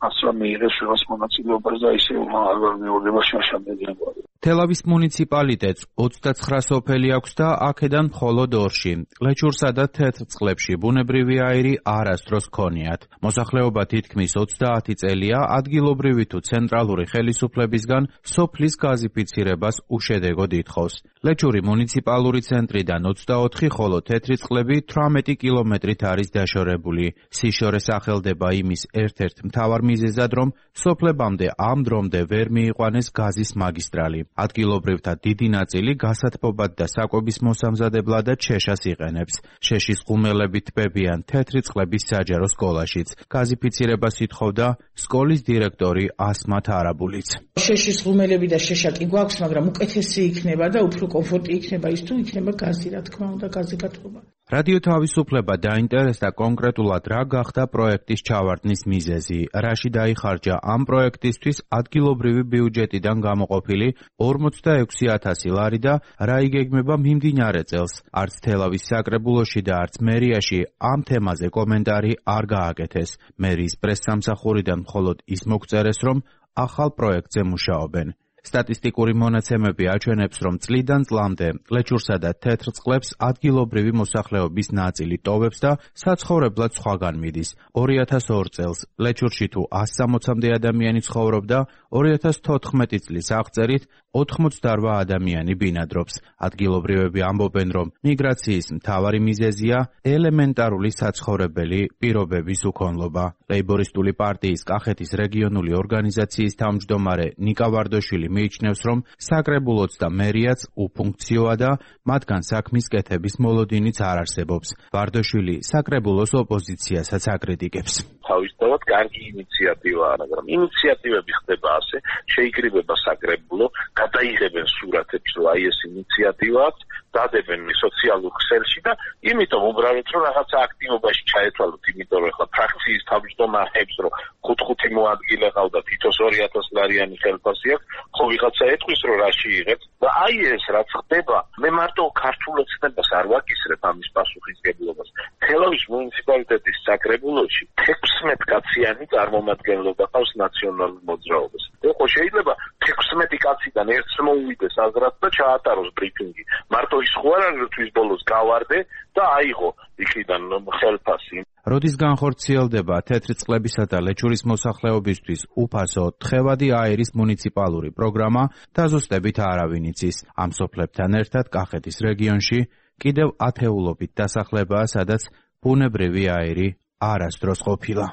ასლა მიიღეს შევას მონაწილეობას და ისე არ მეურნება შაშამდენია. თელავის მუნიციპალიტეტს ოცდაცხრა სოფელი აქვს და აქედან მხოლოდ ორში, ლეჩურსა და თეთრწყლებში ბუნებრივი აირი არასდროს ჰქონიათ. მოსახლეობა თითქმის ოცდაათი წელია ადგილობრივი თუ ცენტრალური ხელისუფლებისგან სოფლის გაზიფიცირებას უშედეგოდ ითხოვს. ლეჩური მუნიციპალური ცენტრიდან ოცდაოთხი, ხოლო თეთრწყლები თვრამეტი კილომეტრით არის დაშორებული. სიშორე სახელდება იმის ერთ-ერთ მთავარ მიზეზად, რომ სოფლებამდე ამ დრომდე ვერ მიიყვანეს გაზის მაგისტრალი. ადგილობრივთა დიდი ნაწილი გასათბობად და საკვების მოსამზადებლად შეშას იყენებს. შეშის ღუმელები თბებიან თეთრი წყლების საჯარო სკოლაშიც. გაზიფიცირებას ითხოვდა სკოლის დირექტორი ასმათ არაბულიც. შეშის ღუმელები და შეშა კი გვაქვს, მაგრამ უკეთესი იქნება და უფრო კომფორტი იქნება ის თუ იქნება გაზი, რა თქმა უნდა, გაზი გათბობა. რადიო თავისუფლება დაინტერესდა კონკრეტულად რა გახდა პროექტის ჩავარდნის მიზეზი, რაში დაიხარჯა ამ პროექტისთვის ადგილობრივი ბიუჯეტიდან გამოყოფილი ორმოცდაექვსი ათასი ლარი და რა იგეგმება მიმდინარე წელს. არც თელავის საკრებულოში და არც მერიაში ამ თემაზე კომენტარი არ გააკეთეს. მერიის პრესსამსახურიდან მხოლოდ ის მოგწერეს, რომ ახალ პროექტზე მუშაობენ. სტატისტიკური მონაცემები აჩვენებს, რომ წლიდან წლამდე ლეჩურსა და თეთრწყლებს ადგილობრივი მოსახლეობის ნაწილი ტოვებს და საცხოვრებლად სხვაგან მიდის. ორი ათას ორ წელს ლეჩურში თუ ასი სამოცამდე ადამიანი ცხოვრობდა, ორი ათას თოთხმეტი წლის აღწერით ოთხმოცდარვა ადამიანი ბინადრობს. ადგილობრივები ამბობენ, რომ მიგრაციის მთავარი მიზეზია ელემენტარული საცხოვრებელი პირობების უქონლობა. ლეიბორისტული პარტიის კახეთის რეგიონული ორგანიზაციის თავმჯდომარე ნიკა ვარდოშვილი მიიჩნევს, რომ საკრებულოც და მერიაც უფუნქციოა და მათგან საქმის კეთების მოლოდინიც არ არსებობს. ვარდოშვილი საკრებულოს ოპოზიციასაც აკრიტიკებს. თავისთავად კარგი ინიციატივაა, მაგრამ ინიციატივები ხდება ასე, შეიკრიბება საკრებულო, გადაიღებენ სურათებს, რომ აი ეს ინიციატივა აქვს, დადებენ სოციალურ ქსელში და იმიტომ უბრალოდ რომ რაღაცა აქტივობაში ჩაეთვალოთ, იმიტომ რომ ხა ფრაქციის თავმჯდომარებს რომ ხუთ-ხუთი მოადგილე ყავდა, თითოს ორი ათასი ლარიანი ხელფასი აქვს, ხო ვიღაცა ეთქვის რომ რაში იღებს და აი ეს რაც ხდება, მე მარტო ქართულ ოცნებას არ ვაკისრებ ამის პასუხისგებლობას. თელავის მუნიციპალიტეტის საკრებულოში თექვსმეტი კაციანი წარმომადგენლობა ყავს ნაციონალურ მოძრაობას. ხო შეიძლება თექვსმეტი კაციდან ერთს მოუვიდეს აზრად და ჩაატაროს ბრიფინგი. მარტო ის ხო არ არის თვის ბოლოს გავარდე და აიღო იქიდან ხელფასი. როდის განხორციელდება თეთრწყლებისა და ლეჩურის მოსახლეობისთვის უფასო თხევადი აირის მუნიციპალური პროგრამა, დაზუსტებით არავინ იცის. ამ სოფლებთან ერთად კახეთის რეგიონში კიდევ ათეულობით დასახლებაა, სადაც ბუნებრივი აირი არასდროს ყოფილა.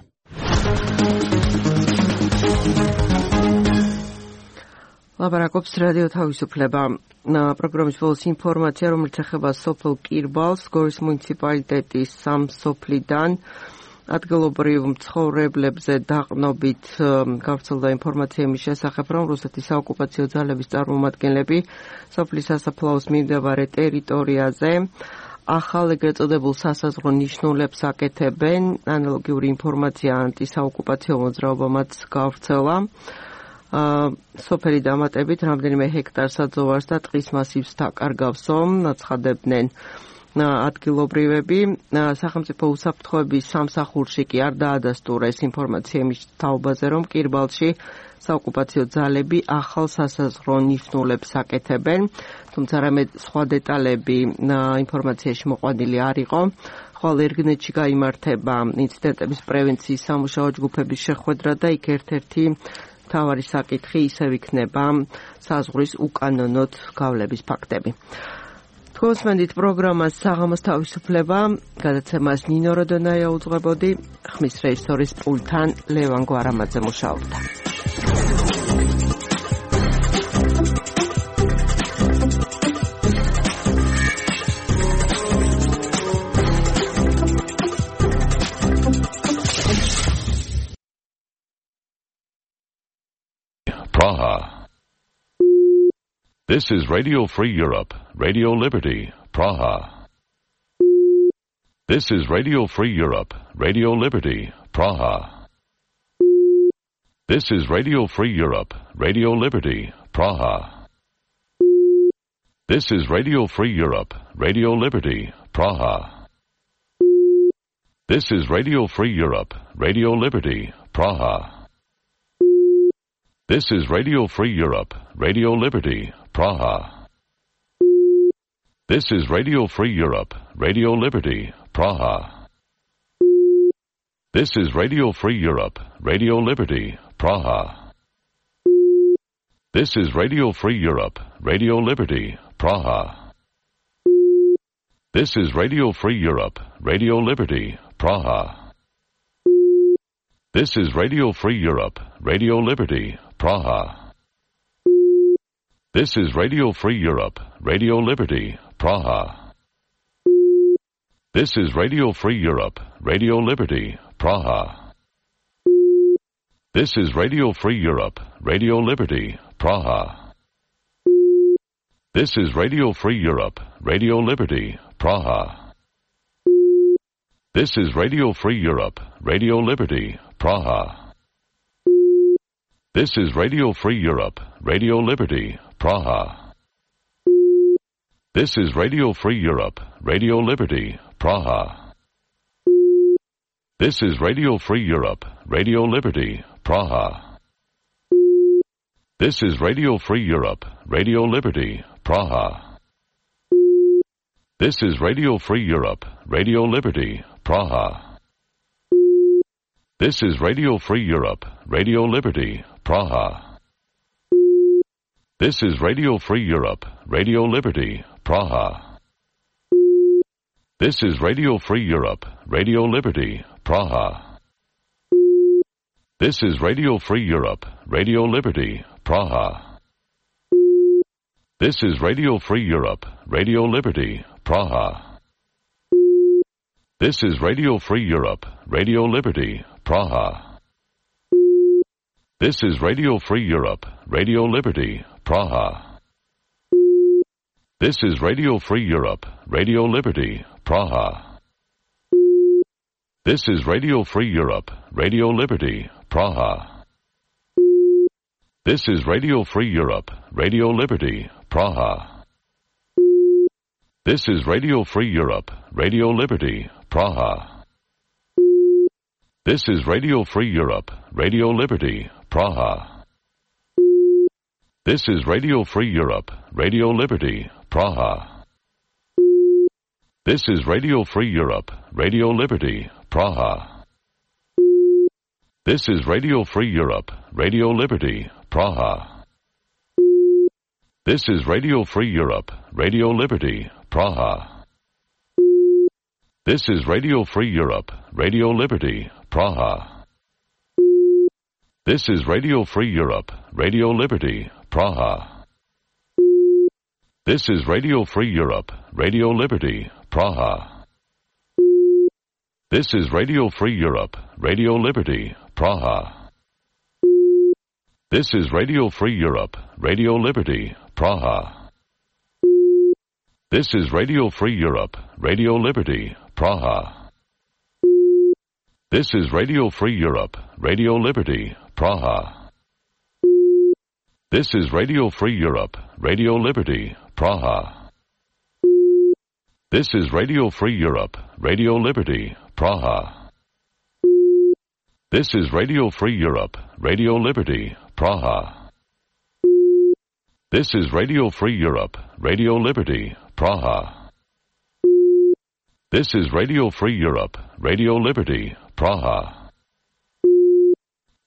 ლაპარაკობს რადიო თავისუფლება. პროგრამის ბოლოს ინფორმაცია, რომელიც ეხება სოფელ კირბალს, გორის მუნიციპალიტეტის სამ სოფლიდან ადგილობრივ მცხოვრებლებზე დაყნობით გავრცელდა ინფორმაცია იმის შესახებ, რომ რუსეთის საოკუპაციო ძალების წარმომადგენლები სოფლის სასაფლაოს მიმდებარე ტერიტორიაზე ახალ ეგრეთ წოდებულ სასაზღვრო ნიშნულებს აკეთებენ. ანალოგიური ინფორმაცია ანტისაოკუპაციო მოძრაობამაც გავრცელა. სოფელი დამატებით რამდენიმე ჰექტარ საძოვარს და ტყის მასივს დაკარგავსო, აცხადებდნენ ადგილობრივები სახელმწიფო უსაფრთხოების სამსახურში კი არ დაადასტურეს ინფორმაცია იმის თაობაზე, რომ კირბალში საოკუპაციო ძალები ახალ სასაზღვრო ნიფნულებს აკეთებენ, თუმცა რამე სხვა დეტალები ინფორმაციაში მოყვანილი არ იყო. ხვალ ერგნეთში გაიმართება ინციდენტების პრევენციის სამუშაო ჯგუფების შეხვედრა და იქ ერთ-ერთი მთავარი საკითხი ისევ იქნება საზღვრის უკანონოდ გავლების ფაქტები. თქვენსმენდით პროგრამას საღამოს თავისუფლება, გადაცემას ნინო როდონაია უძღვებოდი, ხმის რეჟისორის პულტთან ლევან გვარამაძე მუშაობდა. Praha. This is Radio Free Europe, Radio Liberty, Praha. This is Radio Free Europe, Radio Liberty, Praha. This is Radio Free Europe, Radio Liberty, Praha. This is Radio Free Europe, Radio Liberty, Praha. This is Radio Free Europe, Radio Liberty, Praha. This is Radio Free Europe, Radio Liberty, Praha. This is Radio Free Europe, Radio Liberty, Praha. This is Radio Free Europe, Radio Liberty, Praha. This is Radio Free Europe, Radio Liberty, Praha. This is Radio Free Europe, Radio Liberty, Praha. This is Radio Free Europe, Radio Liberty, Praha. This is Radio Free Europe, Radio Liberty, Praha. This is Radio Free Europe, Radio Liberty, Praha. This is Radio Free Europe, Radio Liberty, Praha. This is Radio Free Europe, Radio Liberty, Praha. This is Radio Free Europe, Radio Liberty, Praha. This is Radio Free Europe, Radio Liberty, Praha. This is Radio Free Europe, Radio Liberty, Praha. This is Radio Free Europe, Radio Liberty, Praha. This is Radio Free Europe, Radio Liberty, Praha. This is Radio Free Europe, Radio Liberty, Praha. This is Radio Free Europe, Radio Liberty, Praha. This is Radio Free Europe, Radio Liberty, Praha. This is Radio Free Europe, Radio Liberty, Praha. This is Radio Free Europe, Radio Liberty, Praha. This is Radio Free Europe, Radio Liberty, Praha. This is Radio Free Europe, Radio Liberty, Praha. This is Radio Free Europe, Radio Liberty, Praha. This is Radio Free Europe, Radio Liberty, Praha. This is Radio Free Europe, Radio Liberty, Praha. This is Radio Free Europe, Radio Liberty, Praha. This is Radio Free Europe, Radio Liberty, Praha. This is Radio Free Europe, Radio Liberty, Praha. This is Radio Free Europe, Radio Liberty, Praha. This is Radio Free Europe, Radio Liberty, Praha. This is Radio Free Europe, Radio Liberty, Praha. This is Radio Free Europe, Radio Liberty, Praha. This is Radio Free Europe, Radio Liberty, Praha. This is Radio Free Europe, Radio Liberty, Praha. This is Radio Free Europe, Radio Liberty, Praha. This is Radio Free Europe, Radio Liberty, Praha. This is Radio Free Europe, Radio Liberty, Praha. This is Radio Free Europe, Radio Liberty, Praha. This is Radio Free Europe, Radio Liberty, Praha. This is Radio Free Europe, Radio Liberty, Praha. This is Radio Free Europe, Radio Liberty, Praha. This is Radio Free Europe, Radio Liberty, Praha. This is Radio Free Europe, Radio Liberty, Praha. This is Radio Free Europe, Radio Liberty, Praha.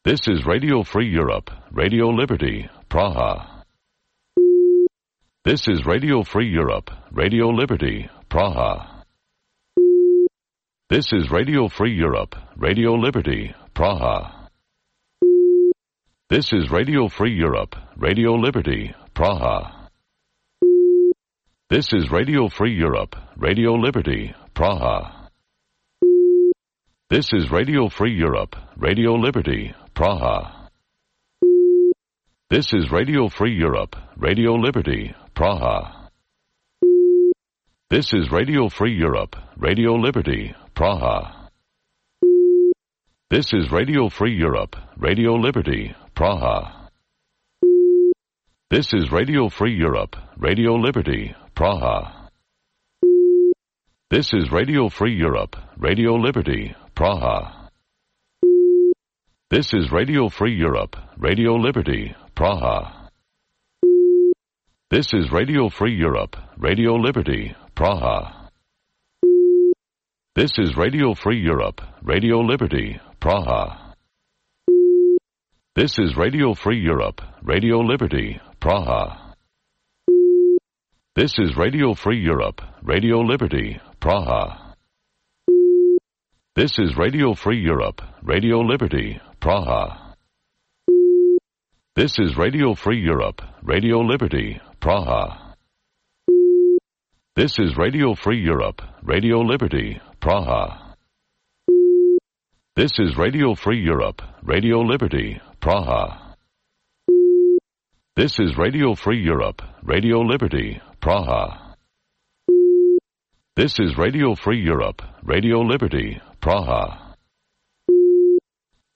This is Radio Free Europe, Radio Liberty, Praha. This is Radio Free Europe, Radio Liberty, Praha. This is Radio Free Europe, Radio Liberty, Praha. This is Radio Free Europe, Radio Liberty, Praha. This is Radio Free Europe, Radio Liberty, Praha. This is Radio Free Europe, Radio Liberty, Praha. This is Radio Free Europe, Radio Liberty, Praha. This is Radio Free Europe, Radio Liberty, Praha. This is Radio Free Europe, Radio Liberty, Praha. This is Radio Free Europe, Radio Liberty, Praha. This is Radio Free Europe, Radio Liberty, Praha. This is Radio Free Europe, Radio Liberty, Praha. This is Radio Free Europe, Radio Liberty, Praha. This is Radio Free Europe, Radio Liberty, Praha. This is Radio Free Europe, Radio Liberty, Praha. This is Radio Free Europe, Radio Liberty, Praha. This is Radio Free Europe, Radio Liberty, Praha. This is Radio Free Europe, Radio Liberty, Praha. This is Radio Free Europe, Radio Liberty, Praha. This is Radio Free Europe, Radio Liberty, Praha. This is Radio Free Europe, Radio Liberty, Praha. This is Radio Free Europe, Radio Liberty, Praha.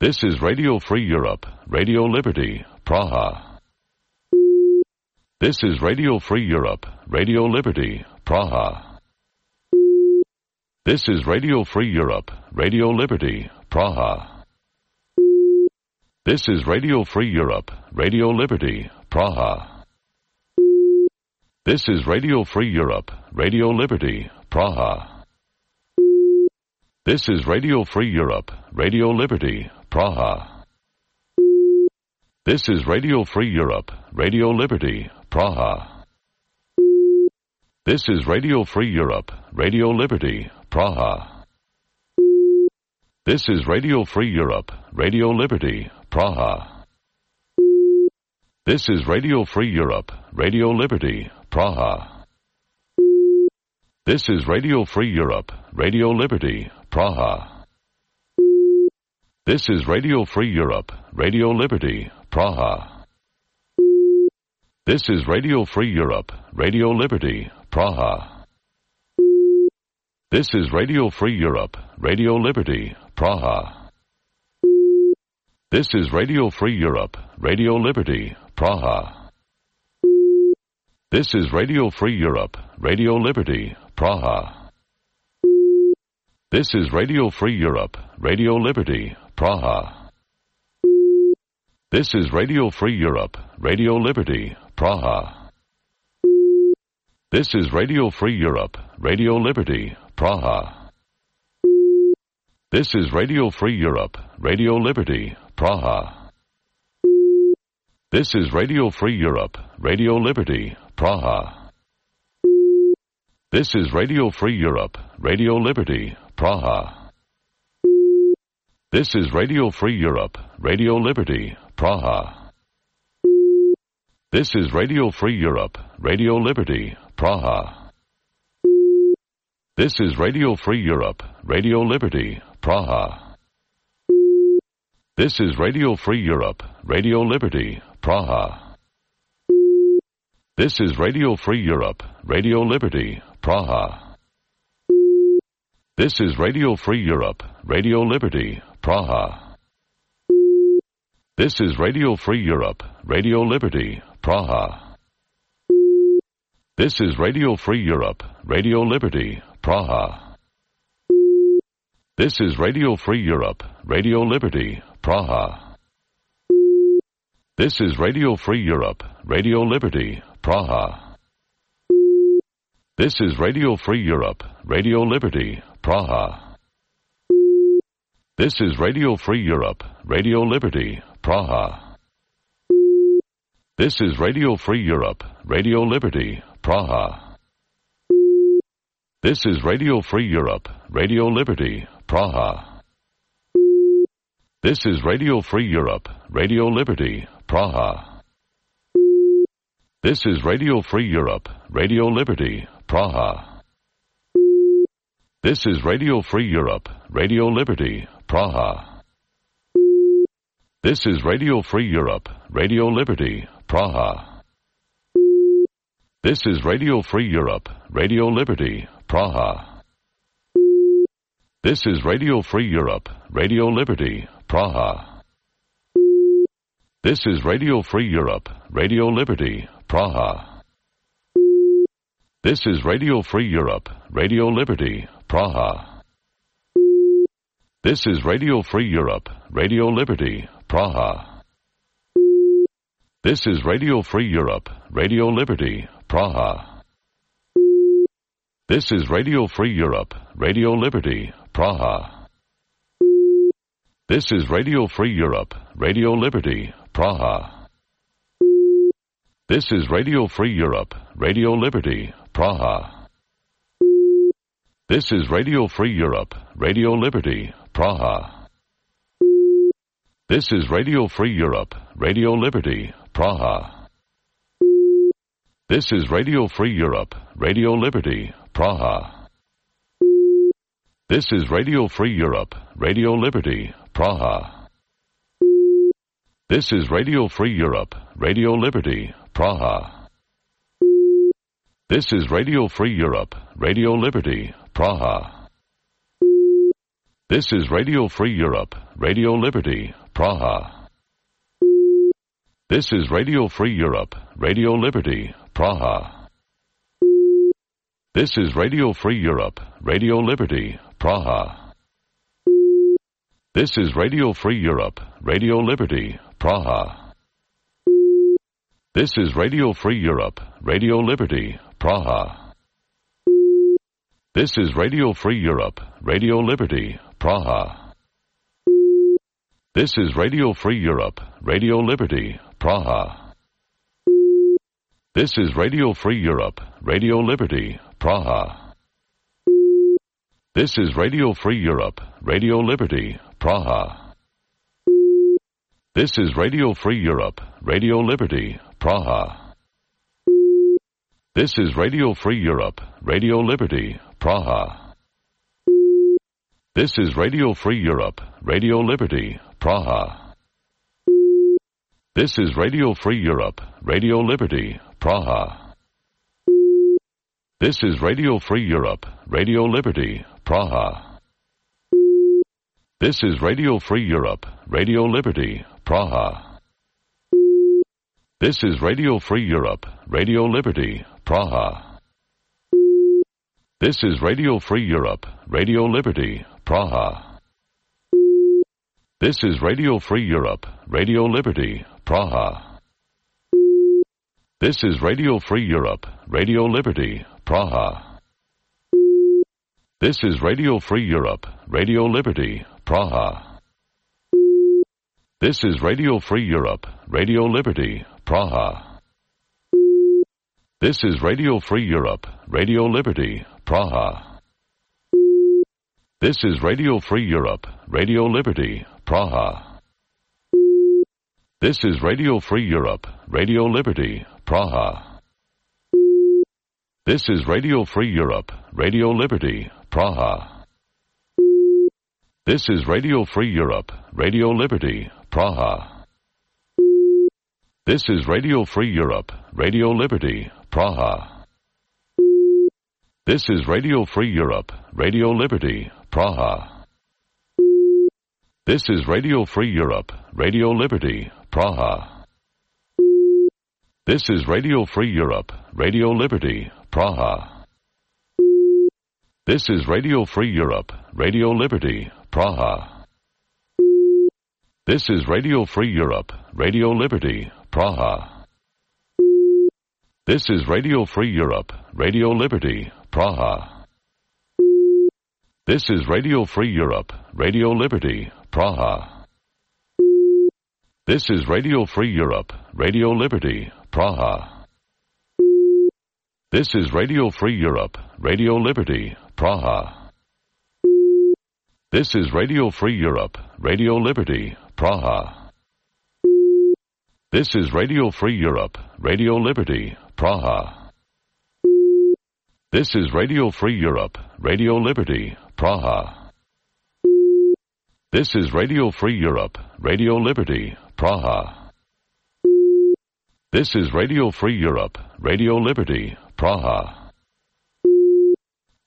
This is Radio Free Europe, Radio Liberty, Praha. This is Radio Free Europe, Radio Liberty, Praha. This is Radio Free Europe, Radio Liberty, Praha. This is Radio Free Europe, Radio Liberty, Praha. This is Radio Free Europe, Radio Liberty, Praha. This is Radio Free Europe, Radio Liberty, Praha. This is Radio Free Europe, Radio Liberty, Praha. This is Radio Free Europe, Radio Liberty, Praha. This is Radio Free Europe, Radio Liberty, Praha. This is Radio Free Europe, Radio Liberty, Praha. This is Radio Free Europe, Radio Liberty, Praha. This is Radio Free Europe, Radio Liberty, Praha. This is Radio Free Europe, Radio Liberty, Praha. This is Radio Free Europe, Radio Liberty, Praha. This is Radio Free Europe, Radio Liberty, Praha. This is Radio Free Europe, Radio Liberty, Praha. This is Radio Free Europe, Radio Liberty, Praha. This is Radio Free Europe, Radio Liberty, Praha. This is Radio Free Europe, Radio Liberty, Praha. This is Radio Free Europe, Radio Liberty, Praha. This is Radio Free Europe, Radio Liberty, Praha. This is Radio Free Europe, Radio Liberty, Praha. This is Radio Free Europe, Radio Liberty, Praha. This is Radio Free Europe, Radio Liberty, Praha. This is Radio Free Europe, Radio Liberty, Praha. This is Radio Free Europe, Radio Liberty, Praha. This is Radio Free Europe, Radio Liberty, Praha. This is Radio Free Europe, Radio Liberty, Praha. This is Radio Free Europe, Radio Liberty, Praha. This is Radio Free Europe, Radio Liberty, Praha. This is Radio Free Europe, Radio Liberty, Praha. This is Radio Free Europe, Radio Liberty, Praha. This is Radio Free Europe, Radio Liberty, Praha. This is Radio Free Europe, Radio Liberty, Praha. This is Radio Free Europe, Radio Liberty, Praha. This is Radio Free Europe, Radio Liberty, Praha. This is Radio Free Europe, Radio Liberty, Praha. This is Radio Free Europe, Radio Liberty, Praha. This is Radio Free Europe, Radio Liberty, Praha. This is Radio Free Europe, Radio Liberty, Praha. This is Radio Free Europe, Radio Liberty, Praha. This is Radio Free Europe, Radio Liberty, Praha. This is Radio Free Europe, Radio Liberty, Praha. This is Radio Free Europe, Radio Liberty, Praha. This is Radio Free Europe, Radio Liberty, Praha. This is Radio Free Europe, Radio Liberty, Praha. This is Radio Free Europe, Radio Liberty, Praha. This is Radio Free Europe, Radio Liberty, Praha. This is Radio Free Europe, Radio Liberty, Praha. This is Radio Free Europe, Radio Liberty, Praha. This is Radio Free Europe, Radio Liberty, Praha. This is Radio Free Europe, Radio Liberty, Praha. This is Radio Free Europe, Radio Liberty, Praha. This is Radio Free Europe, Radio Liberty, Praha. This is Radio Free Europe, Radio Liberty, Praha. This is Radio Free Europe, Radio Liberty, Praha. This is Radio Free Europe, Radio Liberty, Praha. This is Radio Free Europe, Radio Liberty, Praha. This is Radio Free Europe, Radio Liberty, Praha. This is Radio Free Europe, Radio Liberty, Praha. This is Radio Free Europe, Radio Liberty, Praha. This is Radio Free Europe, Radio Liberty, Praha. This is Radio Free Europe, Radio Liberty, Praha. This is Radio Free Europe, Radio Liberty, Praha. This is Radio Free Europe, Radio Liberty, Praha. This is Radio Free Europe, Radio Liberty, Praha. This is Radio Free Europe, Radio Liberty, Praha. This is Radio Free Europe, Radio Liberty, Praha. This is Radio Free Europe, Radio Liberty, Praha. This is Radio Free Europe, Radio Liberty, Praha. This is Radio Free Europe, Radio Liberty, Praha. This is Radio Free Europe, Radio Liberty, Praha. This is Radio Free Europe, Radio Liberty, Praha. This is Radio Free Europe, Radio Liberty, Praha. This is Radio Free Europe, Radio Liberty, Praha. This is Radio Free Europe, Radio Liberty, Praha. This is Radio Free Europe, Radio Liberty, Praha. This is Radio Free Europe, Radio Liberty, Praha. This is Radio Free Europe, Radio Liberty, Praha. This is Radio Free Europe, Radio Liberty, Praha. This is Radio Free Europe, Radio Liberty, Praha. This is Radio Free Europe, Radio Liberty, Praha. This is Radio Free Europe, Radio Liberty, Praha. This is Radio Free Europe, Radio Liberty, Praha. This is Radio Free Europe, Radio Liberty, Praha. This is Radio Free Europe, Radio Liberty, Praha. This is Radio Free Europe, Radio Liberty, Praha. This is Radio Free Europe, Radio Liberty, Praha. This is Radio Free Europe, Radio Liberty, Praha. This is Radio Free Europe, Radio Liberty, Praha. This is Radio Free Europe, Radio Liberty, Praha. This is Radio Free Europe, Radio Liberty, Praha. This is Radio Free Europe, Radio Liberty, Praha. This is Radio Free Europe, Radio Liberty, Praha. This is Radio Free Europe, Radio Liberty, Praha. This is Radio Free Europe, Radio Liberty, Praha.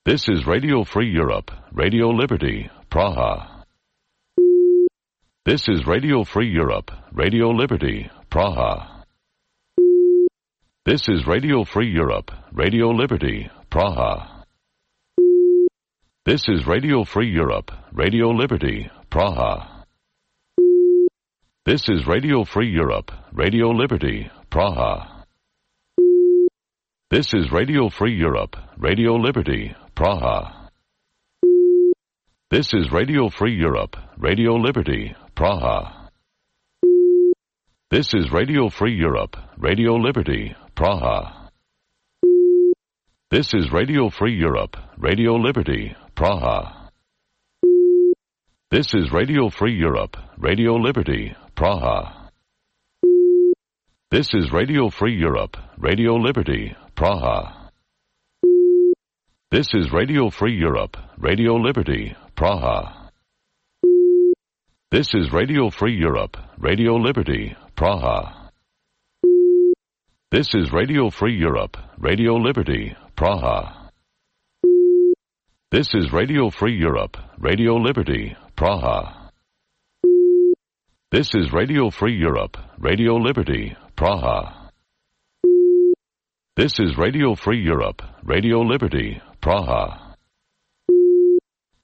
This is Radio Free Europe, Radio Liberty, Praha. This is Radio Free Europe, Radio Liberty, Praha. This is Radio Free Europe, Radio Liberty, Praha. This is Radio Free Europe, Radio Liberty, Praha. This is Radio Free Europe, Radio Liberty, Praha. This is Radio Free Europe, Radio Liberty, Praha. This is Radio Free Europe, Radio Liberty, Praha. This is Radio Free Europe, Radio Liberty, Praha. This is Radio Free Europe, Radio Liberty, Praha. This is Radio Free Europe, Radio Liberty, Praha. This is Radio Free Europe, Radio Liberty, Praha. This is Radio Free Europe, Radio Liberty, Praha. This is Radio Free Europe, Radio Liberty, Praha. This is Radio Free Europe, Radio Liberty, Praha. This is Radio Free Europe, Radio Liberty, Praha. This is Radio Free Europe, Radio Liberty, Praha. This is Radio Free Europe, Radio Liberty, Praha.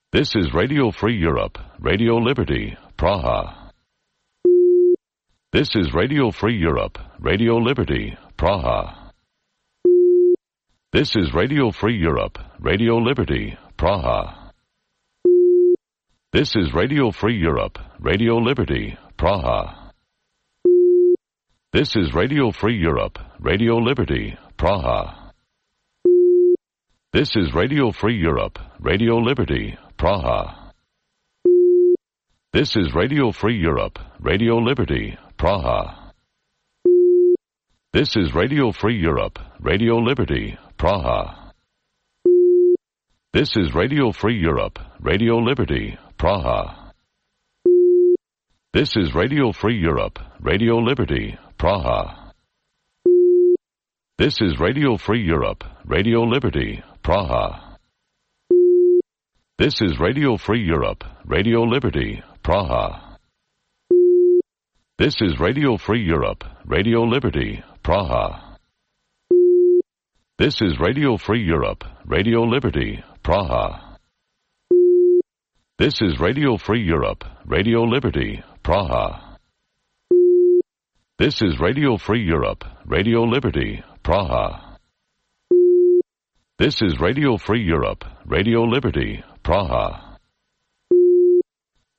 This is Radio Free Europe, Radio Liberty, Praha. This is Radio Free Europe, Radio Liberty, Praha. This is Radio Free Europe, Radio Liberty, Praha. This is Radio Free Europe, Radio Liberty, Praha. This is Radio Free Europe, Radio Liberty, Praha. This is Radio Free Europe, Radio Liberty, Praha. This is Radio Free Europe, Radio Liberty, Praha. This is Radio Free Europe, Radio Liberty, Praha. This is Radio Free Europe, Radio Liberty, Praha. This is Radio Free Europe, Radio Liberty, Praha. This is Radio Free Europe, Radio Liberty, Praha. This is Radio Free Europe, Radio Liberty, Praha. This is Radio Free Europe, Radio Liberty, Praha. This is Radio Free Europe, Radio Liberty, Praha. This is Radio Free Europe, Radio Liberty, Praha. This is Radio Free Europe, Radio Liberty, Praha. This is Radio Free Europe, Radio Liberty, Praha.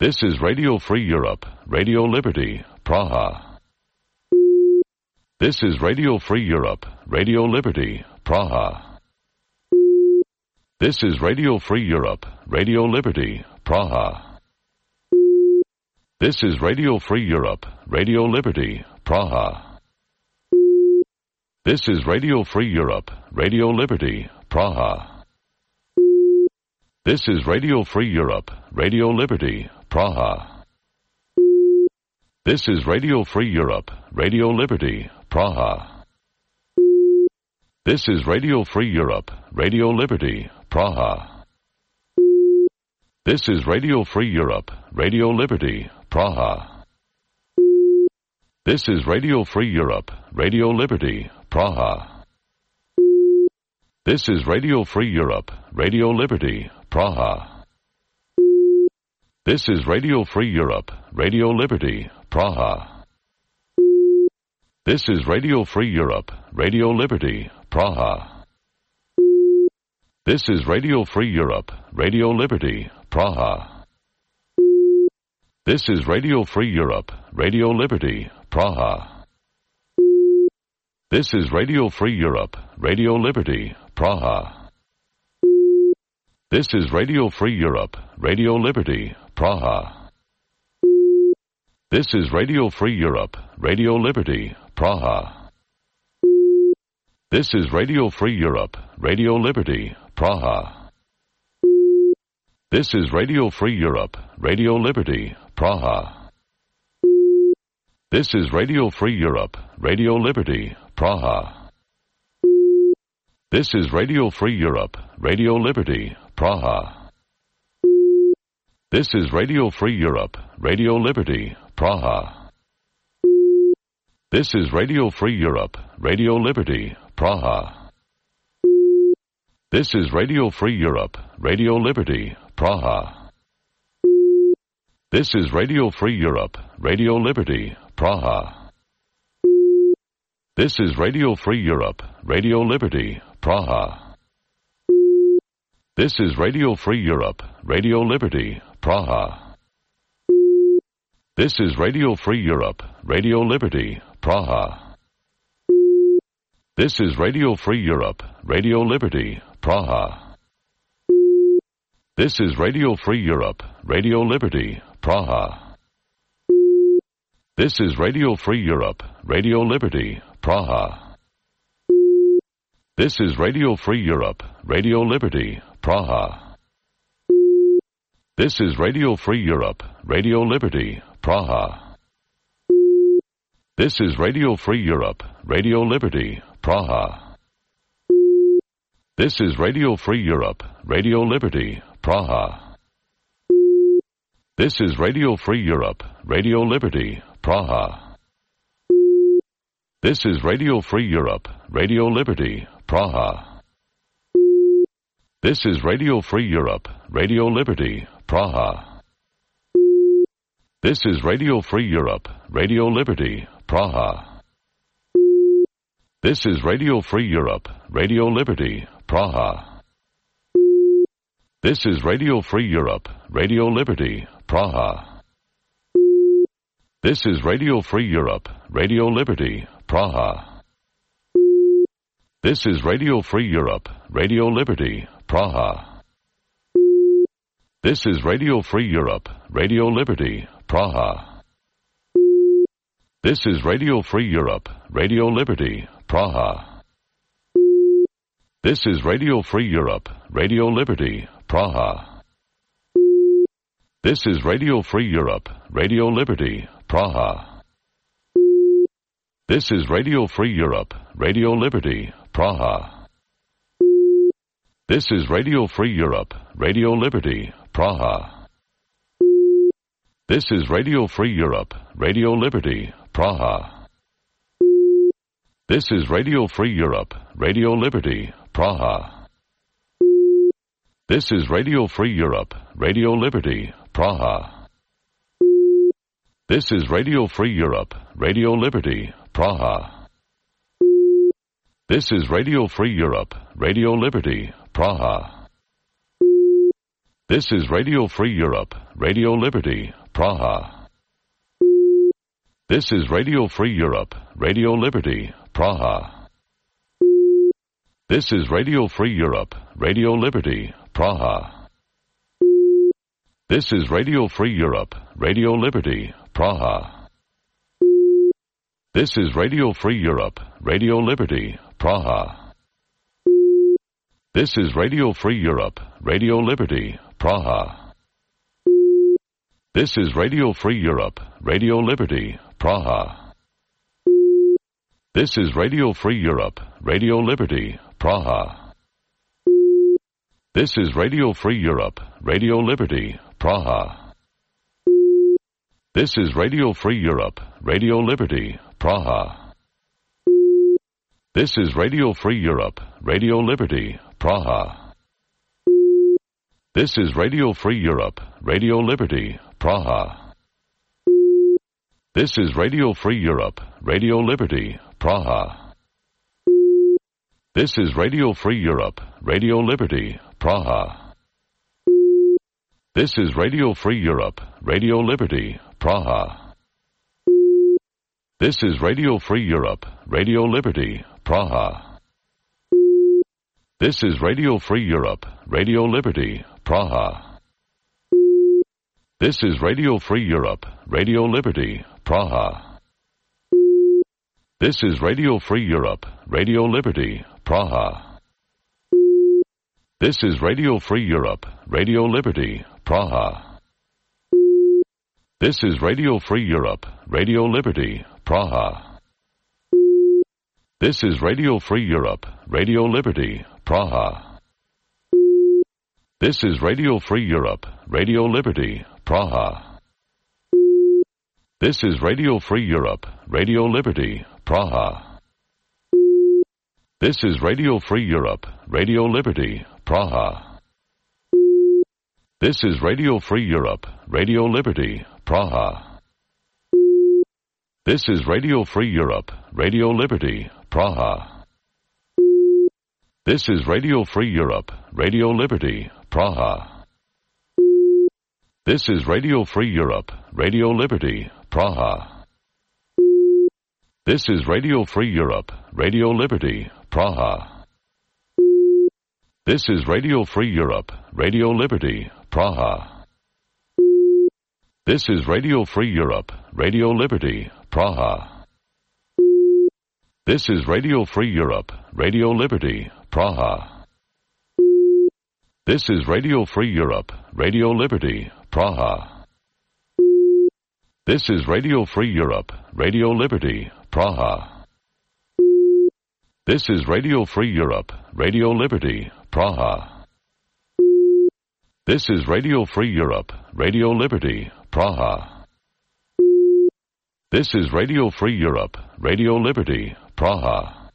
This is Radio Free Europe, Radio Liberty, Praha. This is Radio Free Europe, Radio Liberty, Praha. This is Radio Free Europe, Radio Liberty, Praha. This is Radio Free Europe, Radio Liberty, Praha. This is Radio Free Europe, Radio Liberty, Praha. This is Radio Free Europe, Radio Liberty, Praha. This is Radio Free Europe, Radio Liberty, Praha. This is Radio Free Europe, Radio Liberty, Praha. This is Radio Free Europe, Radio Liberty, Praha. This is Radio Free Europe, Radio Liberty, Praha. This is Radio Free Europe, Radio Liberty, Praha. This is Radio Free Europe, Radio Liberty, Praha. This is Radio Free Europe, Radio Liberty, Praha. This is Radio Free Europe, Radio Liberty, Praha. This is Radio Free Europe, Radio Liberty, Praha. This is Radio Free Europe, Radio Liberty, Praha. This is Radio Free Europe, Radio Liberty, Praha. This is Radio Free Europe, Radio Liberty, Praha. This is Radio Free Europe, Radio Liberty, Praha. This is Radio Free Europe, Radio Liberty, Praha. This is Radio Free Europe, Radio Liberty, Praha. This is Radio Free Europe, Radio Liberty, Praha. This is Radio Free Europe, Radio Liberty, Praha. This is Radio Free Europe, Radio Liberty, Praha. This is Radio Free Europe, Radio Liberty, Praha. This is Radio Free Europe, Radio Liberty, Praha. This is Radio Free Europe, Radio Liberty, Praha. This is Radio Free Europe, Radio Liberty, Praha. This is Radio Free Europe, Radio Liberty, Praha. This is Radio Free Europe, Radio Liberty, Praha. This is Radio Free Europe, Radio Liberty, Praha. This is Radio Free Europe, Radio Liberty, Praha. This is Radio Free Europe, Radio Liberty, Praha. This is Radio Free Europe, Radio Liberty, Praha. This is Radio Free Europe, Radio Liberty, Praha. This is Radio Free Europe, Radio Liberty, Praha. This is Radio Free Europe, Radio Liberty, Praha. This is Radio Free Europe, Radio Liberty, Praha. This is Radio Free Europe, Radio Liberty, Praha. This is Radio Free Europe, Radio Liberty, Praha. This is Radio Free Europe, Radio Liberty, Praha. This is Radio Free Europe, Radio Liberty, Praha. This is Radio Free Europe, Radio Liberty, Praha. This is Radio Free Europe, Radio Liberty, Praha. This is Radio Free Europe, Radio Liberty, Praha. This is Radio Free Europe, Radio Liberty, Praha. This is Radio Free Europe, Radio Liberty, Praha. This is Radio Free Europe, Radio Liberty, Praha. This is Radio Free Europe, Radio Liberty, Praha. This is Radio Free Europe, Radio Liberty, Praha. This is Radio Free Europe, Radio Liberty, Praha. This is Radio Free Europe, Radio Liberty, Praha. This is Radio Free Europe, Radio Liberty, Praha. This is Radio Free Europe, Radio Liberty, Praha. This is Radio Free Europe, Radio Liberty, Praha. This is Radio Free Europe, Radio Liberty, Praha. This is Radio Free Europe, Radio Liberty, Praha. This is Radio Free Europe, Radio Liberty, Praha. This is Radio Free Europe, Radio Liberty, Praha. This is Radio Free Europe, Radio Liberty, Praha. This is Radio Free Europe, Radio Liberty, Praha. This is Radio Free Europe, Radio Liberty, Praha. This is Radio Free Europe, Radio Liberty, Praha. This is Radio Free Europe, Radio Liberty, Praha. This is Radio Free Europe, Radio Liberty, Praha. This is Radio Free Europe, Radio Liberty, Praha. This is Radio Free Europe, Radio Liberty, Praha. This is Radio Free Europe, Radio Liberty, Praha. This is Radio Free Europe, Radio Liberty, Praha. This is Radio Free Europe, Radio Liberty, Praha. This is Radio Free Europe, Radio Liberty, Praha. This is Radio Free Europe, Radio Liberty, Praha. This is Radio Free Europe, Radio Liberty, Praha. This is Radio Free Europe, Radio Liberty, Praha. This is Radio Free Europe, Radio Liberty, Praha. This is Radio Free Europe, Radio Liberty, Praha. This is Radio Free Europe, Radio Liberty, Praha. This is Radio Free Europe, Radio Liberty, Praha. This is Radio Free Europe, Radio Liberty, Praha. This is Radio Free Europe, Radio Liberty, Praha. This is Radio Free Europe, Radio Liberty, Praha. This is Radio Free Europe, Radio Liberty, Praha. This is Radio Free Europe, Radio Liberty, Praha. This is Radio Free Europe, Radio Liberty, Praha. This is Radio Free Europe, Radio Liberty, Praha. This is Radio Free Europe, Radio Liberty, Praha. This is Radio Free Europe, Radio Liberty, Praha. This is Radio Free Europe, Radio Liberty, Praha. This is Radio Free Europe, Radio Liberty, Praha. This is Radio Free Europe, Radio Liberty, Praha. This is Radio Free Europe, Radio Liberty, Praha. This is Radio Free Europe, Radio Liberty, Praha. This is Radio Free Europe, Radio Liberty, Praha.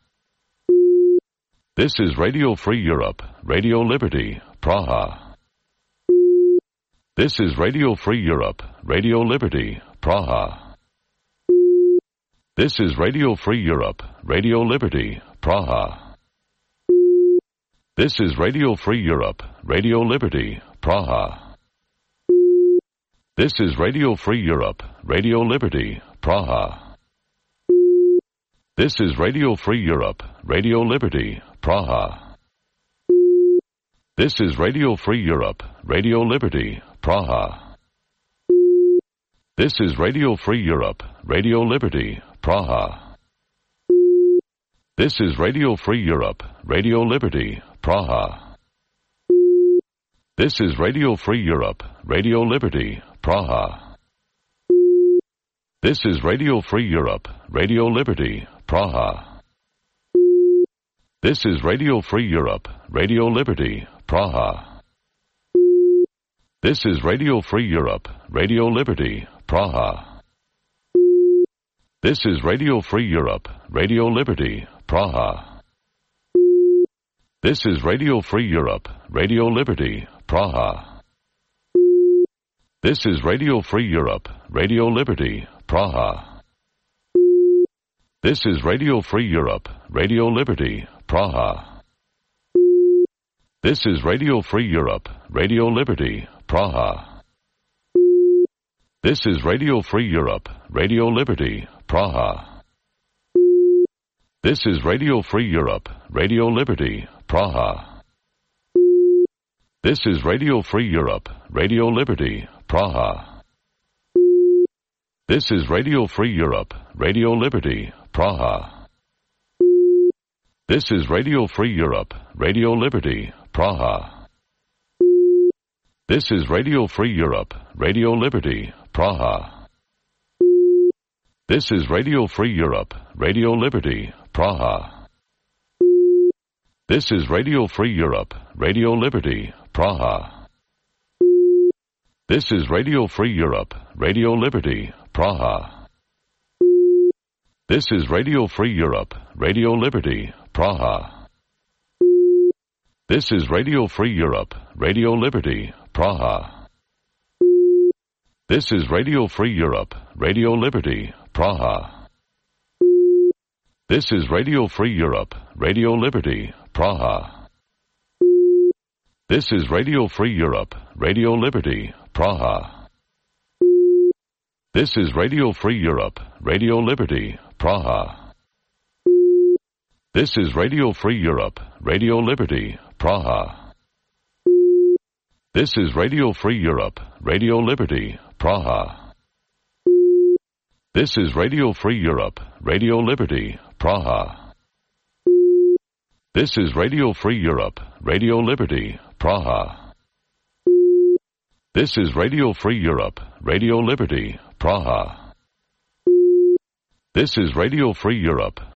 This is Radio Free Europe, Radio Liberty, Praha. This is Radio Free Europe, Radio Liberty, Praha. This is Radio Free Europe, Radio Liberty, Praha. This is Radio Free Europe, Radio Liberty, Praha. This is Radio Free Europe, Radio Liberty, Praha. This is Radio Free Europe, Radio Liberty, Praha. This is Radio Free Europe, Radio Liberty, Praha. This is Radio Free Europe, Radio Liberty, Praha. This is Radio Free Europe, Radio Liberty, Praha. This is Radio Free Europe, Radio Liberty, Praha. This is Radio Free Europe, Radio Liberty, Praha. This is Radio Free Europe, Radio Liberty, Praha. This is Radio Free Europe, Radio Liberty, Praha. This is Radio Free Europe, Radio Liberty, Praha. This is Radio Free Europe, Radio Liberty, Praha. This is Radio Free Europe, Radio Liberty, Praha. This is Radio Free Europe, Radio Liberty, Praha. This is Radio Free Europe, Radio Liberty, Praha. This is Radio Free Europe, Radio Liberty, Praha. This is Radio Free Europe, Radio Liberty, Praha. This is Radio Free Europe, Radio Liberty, Praha. This is Radio Free Europe, Radio Liberty, Praha. This is Radio Free Europe, Radio Liberty, Praha. This is Radio Free Europe, Radio Liberty, Praha. This is Radio Free Europe, Radio Liberty, Praha. This is Radio Free Europe, Radio Liberty, Praha. This is Radio Free Europe, Radio Liberty, Praha. This is Radio Free Europe, Radio Liberty, Praha. This is Radio Free Europe, Radio Liberty, Praha. This is Radio Free Europe, Radio Liberty, Praha. This is Radio Free Europe, Radio Liberty, Praha. This is Radio Free Europe, Radio Liberty, Praha. This is Radio Free Europe, Radio Liberty, Praha. This is Radio Free Europe, Radio Liberty, Praha. This is Radio Free Europe, Radio Liberty, Praha. This is Radio Free Europe, Radio Liberty, Praha. This is Radio Free Europe, Radio Liberty, Praha. This is Radio Free Europe, Radio Liberty, Praha. This is Radio Free Europe,